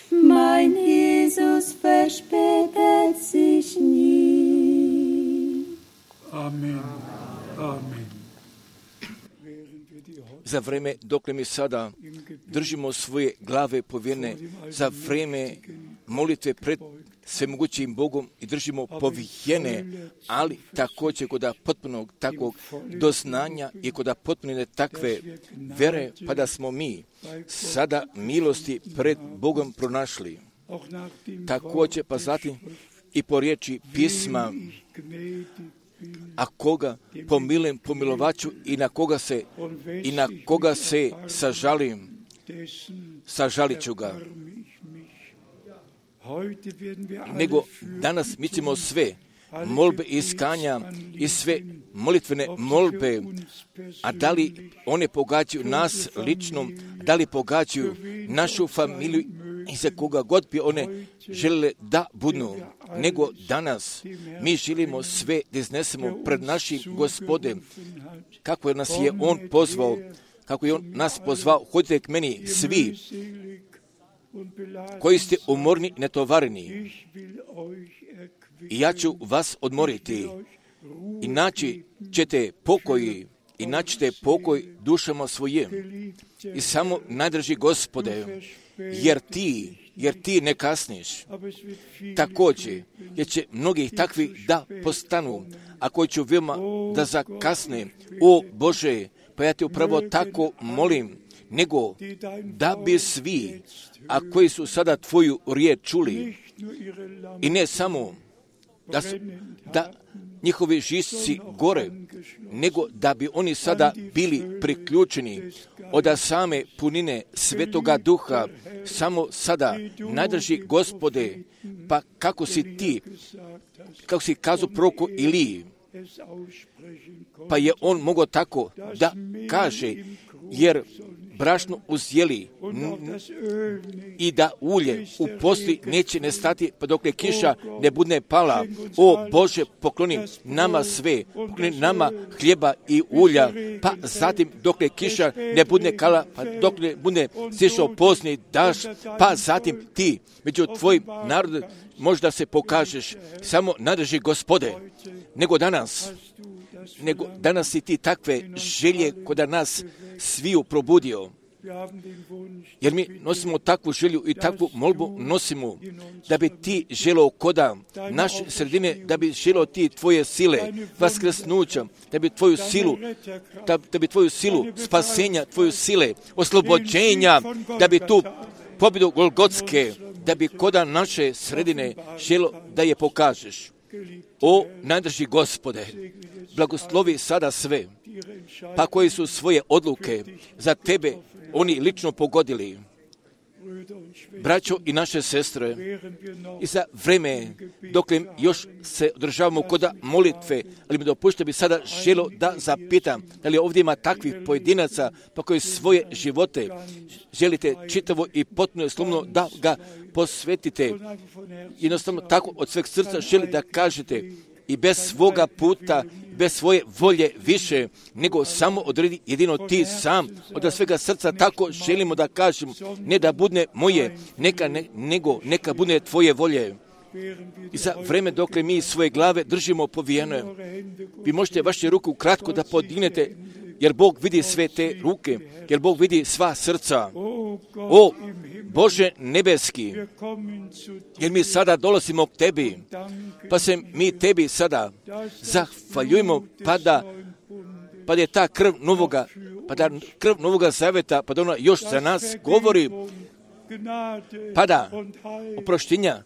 Speaker 3: Mein Jesus verspätet sich nie.
Speaker 4: Amen. Amen.
Speaker 1: Za vreme dokle mi sada držimo svoje glave povjerne, za vreme molitve pred svemogućim Bogom i držimo povijene, ali također kod potpunog takvog doznanja i kod potpunine takve vere, pa da smo mi sada milosti pred Bogom pronašli. Također pa zatim i po riječi pisma, a koga pomilujem, pomilovaću i na koga se sažalim, sažalit ću ga. Nego danas mi ćemo sve molbe iskanja i sve molitvene molbe, a da li one pogađaju nas lično, da li pogađaju našu familiju i za koga god bi one želele da budu, nego danas mi želimo sve da iznesemo pred našim Gospodem, kako nas je On pozvao, kako je On nas pozvao, hodite k meni svi koji ste umorni i netovareni, i ja ću vas odmoriti i naći ćete pokoj dušama svojim. I samo najdrži Gospode, jer ti ne kasniš. Također, jer će mnogi takvi da postanu, a koji ću veoma da zakasne. O Bože, pa ja te upravo tako molim, nego da bi svi, a koji su sada tvoju riječ čuli, i ne samo da njihovi žisci gore, nego da bi oni sada bili priključeni od same punine Svetoga Duha, samo sada, najdrži Gospode, pa kako si kazao proroku Iliji, pa je on mogao tako da kaže, jer brašno uzjeli i da ulje u posli neće nestati pa dokle kiša ne bude pala. O Bože, pokloni nama sve, pokloni nama hljeba i ulja, pa zatim dokle kiša ne bude kala, pa dokle bude sišao pozni daš, pa zatim ti među tvojim narodom možda se pokažeš, samo nadrži Gospode, nego danas si ti takve želje kod nas sviju probudio. Jer mi nosimo takvu želju i takvu molbu nosimo, da bi ti želeo koda naše sredine, da bi želeo ti tvoje sile vaskrsnuća, da bi tvoju silu, da bi tvoju silu spasenja, tvoju sile oslobođenja, da bi tu pobjedu Golgotske, da bi koda naše sredine želeo da je pokažeš. O najdrži Gospode, blagoslovi sada sve, pa koji su svoje odluke za tebe oni lično pogodili. Braćo i naše sestre, i za vreme dok još se održavamo koda molitve, ali mi dopušte bi sada želio da zapitam, da li ovdje ima takvih pojedinaca pa koji svoje živote želite čitavo i potpuno slobodno da ga posvetite. Jednostavno tako od sveg srca želi da kažete i bez svoga puta, bez svoje volje više, nego samo odredi jedino ti sam. Od svega srca tako želimo da kažem, ne da bude moje, nego neka bude tvoje volje. I za vreme dok mi svoje glave držimo povijene, vi možete vaše ruku kratko da podignete, jer Bog vidi sve te ruke, jer Bog vidi sva srca. O Bože nebeski, jer mi sada dolazimo k tebi, pa se mi tebi sada zahvaljujemo, pa da je ta krv novoga zaveta, pa da ona još za nas govori, pa da oproštenja,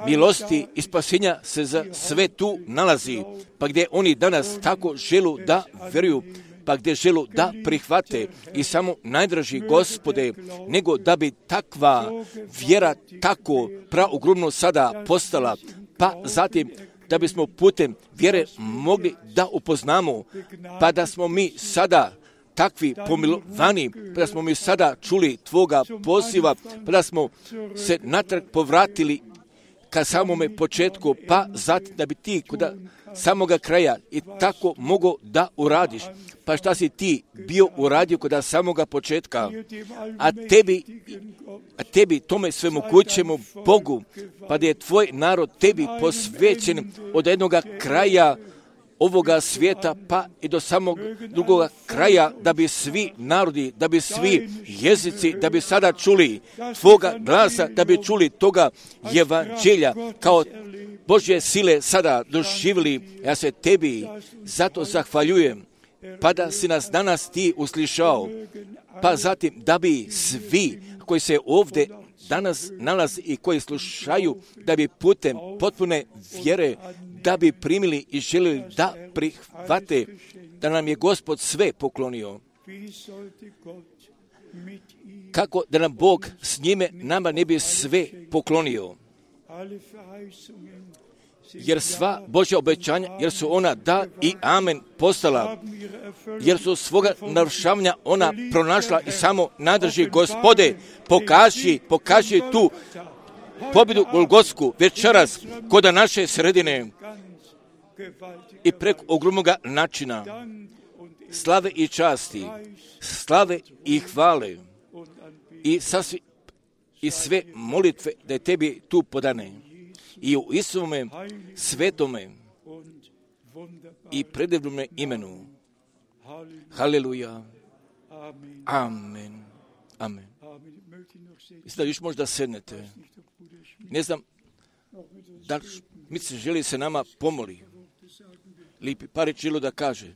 Speaker 1: milosti i spasenja se za sve tu nalazi, pa gdje oni danas tako želu da vjeruju, pa gdje želu da prihvate i samo najdraži Gospode, nego da bi takva vjera tako praogromno sada postala, pa zatim da bismo putem vjere mogli da upoznamo, pa da smo mi sada takvi pomilovani, pa da smo mi sada čuli tvoga poziva, pa da smo se natrag povratili ka samome početku, pa zatim da bi ti kod samoga kraja i tako mogo da uradiš. Pa šta si ti bio uradio kod samoga početka, a tebi tome svemogućemu Bogu, pa da je tvoj narod tebi posvećen od jednoga kraja ovoga svijeta pa i do samog drugoga kraja, da bi svi narodi, da bi svi jezici, da bi sada čuli tvoga glasa, da bi čuli toga evanđelja kao Božje sile sada doživjeli. Ja se tebi zato zahvaljujem, pa da si nas danas ti uslišao, pa zatim da bi svi koji se ovdje danas nalazi i koji slušaju, da bi putem potpune vjere, da bi primili i željeli da prihvate, da nam je Gospod sve poklonio. Kako da nam Bog s njime nama ne bi sve poklonio? Jer sva Božja obećanja, jer su ona da i amen postala, jer su svoga navršavanja ona pronašla i samo nadrži Gospode, pokaži tu pobjedu Golgotsku večeras koda naše sredine i preko ogromnoga načina slave i časti, slave i hvale i sve molitve da je tebi tu podane i u Isuvome svetome i predivnome imenu. Haleluja. Amen. Amen. Mislim da još možda sednete. Ne znam da mi se želi se nama pomoli. Lipi par želo da kaže.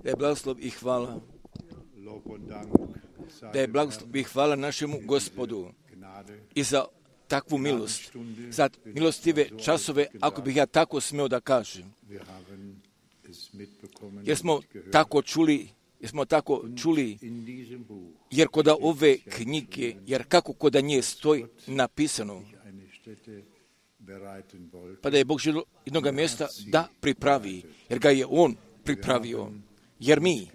Speaker 1: Da je blagoslov i hvala. Da je blagoslov i hvala našemu Gospodu i za takvu milost, za milostive časove, ako bih ja tako smio da kažem. Jer smo tako čuli, jer kod ove knjige, jer kako kod nje stoji napisano, pa da je Bog želio jednog mjesta da pripravi, jer ga je On pripravio. Jer mi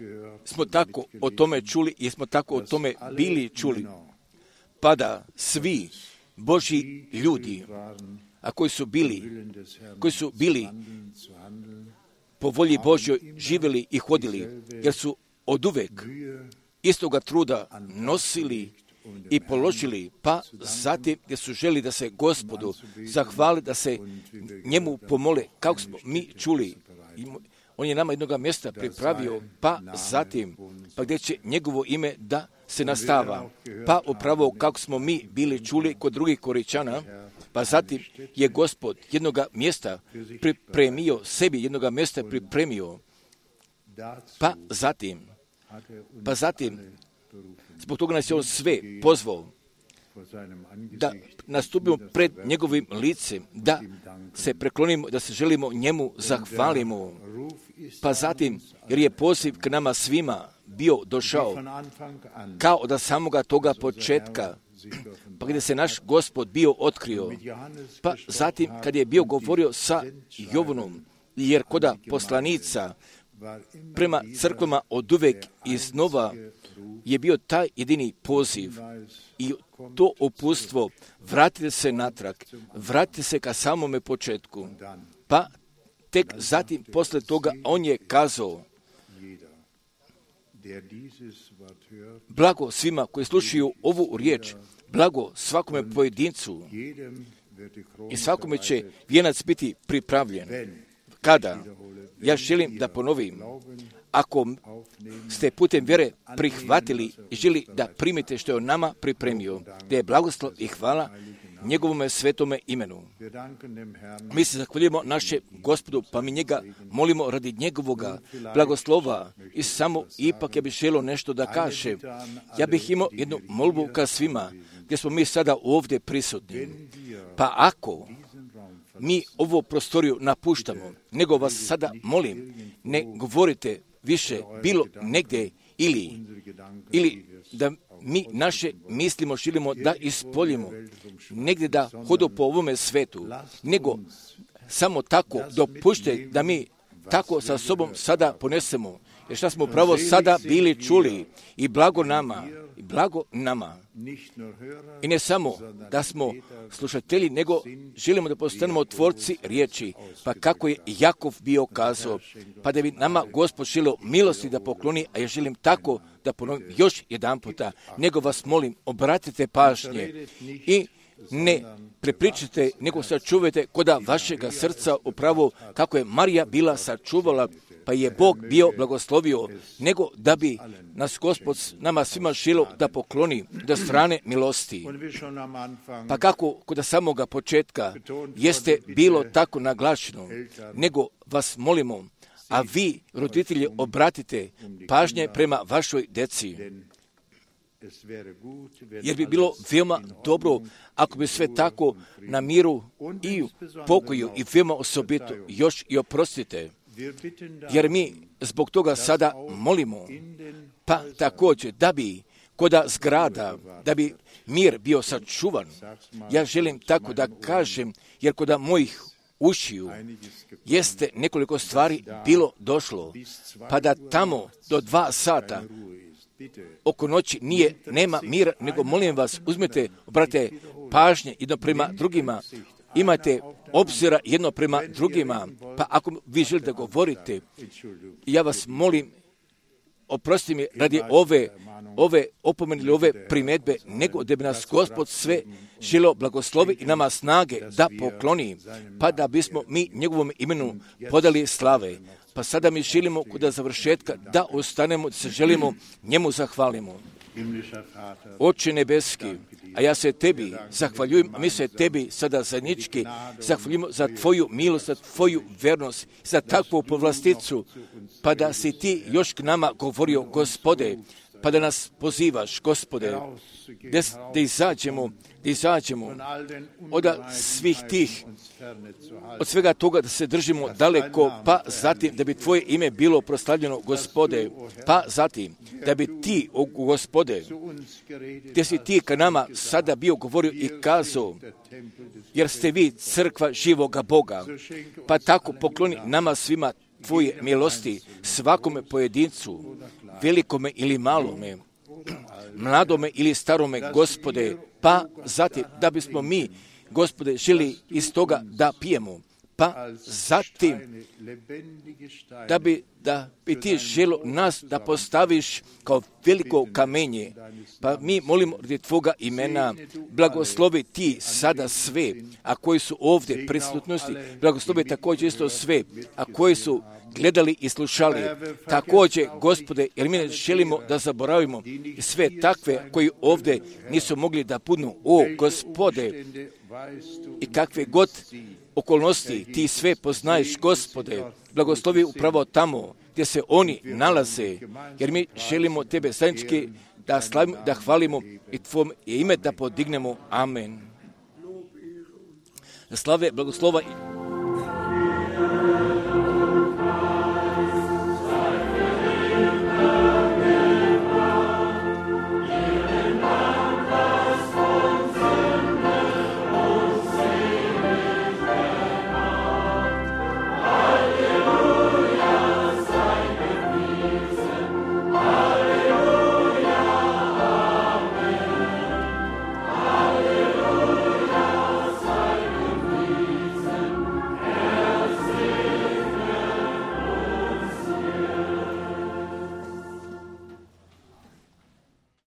Speaker 1: smo tako o tome čuli i smo tako o tome bili čuli. Pa da svi Božji ljudi, a koji su bili po volji Božjoj živjeli i hodili, jer su oduvek istoga truda nosili i položili, pa zatim gdje su želi da se Gospodu zahvali, da se njemu pomole, kako smo mi čuli. On je nama jednoga mjesta pripravio, pa zatim, pa gdje će njegovo ime da se nastava. Pa upravo kako smo mi bili čuli kod drugih Koričana, pa zatim je Gospod jednoga mjesta pripremio, sebi jednoga mjesta pripremio. Pa zatim, zbog toga nas je on sve pozvao da nastupimo pred njegovim licem, da se preklonimo, da se želimo njemu zahvalimo. Pa zatim, jer je poziv k nama svima bio došao, kao da samoga toga početka, pa gdje se naš Gospod bio otkrio. Pa zatim, kad je bio govorio sa Jovanom, jer koda poslanica prema crkvama od uvek iznova je bio taj jedini poziv i to uputstvo, vratite se natrag, vratite se ka samome početku. Pa tek zatim, posle toga, on je kazao, blago svima koji slušaju ovu riječ, blago svakome pojedincu i svakome će vijenac biti pripravljen. Kada? Ja želim da ponovim, ako ste putem vjere prihvatili i želi da primite što je on nama pripremio, da je blagoslov i hvala njegovome svetome imenu. Mi se zahvaljujemo naše Gospodu, pa mi njega molimo radi njegovoga blagoslova i samo ipak ja bih želio nešto da kažem. Ja bih imao jednu molbu ka svima, gdje smo mi sada ovdje prisutni. Pa ako mi ovu prostoriju napuštamo, nego vas sada molim, ne govorite više bilo negdje ili da mi naše mislimo želimo da ispoljimo negdje da hodu po ovome svetu, nego samo tako dopušte da mi tako sa sobom sada ponesemo. Jer šta smo upravo sada bili čuli i blago nama. I ne samo da smo slušatelji, nego želimo da postanemo tvorci riječi. Pa kako je Jakov bio kazao, pa da bi nama Gospod želio milosti da pokloni, a ja želim tako da ponovim još jedan puta, nego vas molim, obratite pažnje i ne prepričite, nego sačuvajte koda vašega srca upravo kako je Marija bila sačuvala, pa je Bog bio blagoslovio, nego da bi nas Gospod nama svima želio da pokloni do strane milosti. Pa kako kod samoga početka jeste bilo tako naglašeno, nego vas molimo, a vi, roditelji, obratite pažnje prema vašoj deci. Jer bi bilo veoma dobro ako bi sve tako na miru i u pokoju i veoma osobito još i oprostite. Jer mi zbog toga sada molimo, pa također da bi koda zgrada, da bi mir bio sačuvan. Ja želim tako da kažem, jer koda mojih ušiju jeste nekoliko stvari bilo došlo, pa da tamo do 2 sata oko noći nema mira, nego molim vas, uzmete, obratite pažnje jedno prema drugima, imate obzira jedno prema drugima, pa ako vi želite da govorite, ja vas molim, oprosti mi radi ove opomene ili ove primjedbe, nego da bi nas Gospod sve želio blagoslovi i nama snage da pokloni, pa da bismo mi njegovom imenu podali slave. Pa sada mi želimo kod završetka da ostanemo, da se želimo njemu zahvalimo. Oče nebeski, a ja se tebi zahvaljujem, a mi se tebi sada zajednički zahvaljujemo za tvoju milost, za tvoju vernost, za takvu povlasticu, pa da si ti još k nama govorio, Gospode, pa da nas pozivaš, Gospode, da izađemo od svih tih, od svega toga da se držimo daleko, pa zatim da bi tvoje ime bilo proslavljeno, Gospode, pa zatim da bi ti, Gospode, gdje si ti ka nama sada bio govorio i kazao, jer ste vi crkva živoga Boga, pa tako pokloni nama svima tvoje milosti, svakome pojedincu, velikome ili malome, mladome ili starome, Gospode, pa zatim da bismo mi, Gospode, želi iz toga da pijemo, Pa zatim, da bi ti želo nas da postaviš kao veliko kamenje, pa mi molimo radi tvoga imena, blagoslovi ti sada sve, a koji su ovdje prisutnosti, blagoslovi također isto sve, a koji su gledali i slušali. Također, Gospode, jer mi ne želimo da zaboravimo sve takve koji ovdje nisu mogli da budu. O, Gospode, i kakve god okolnosti ti sve poznaješ, Gospode, blagoslovi upravo tamo gdje se oni nalaze, jer mi želimo tebe zajednički da slavimo, da hvalimo i tvoje ime da podignemo. Amen. Slave, blagoslova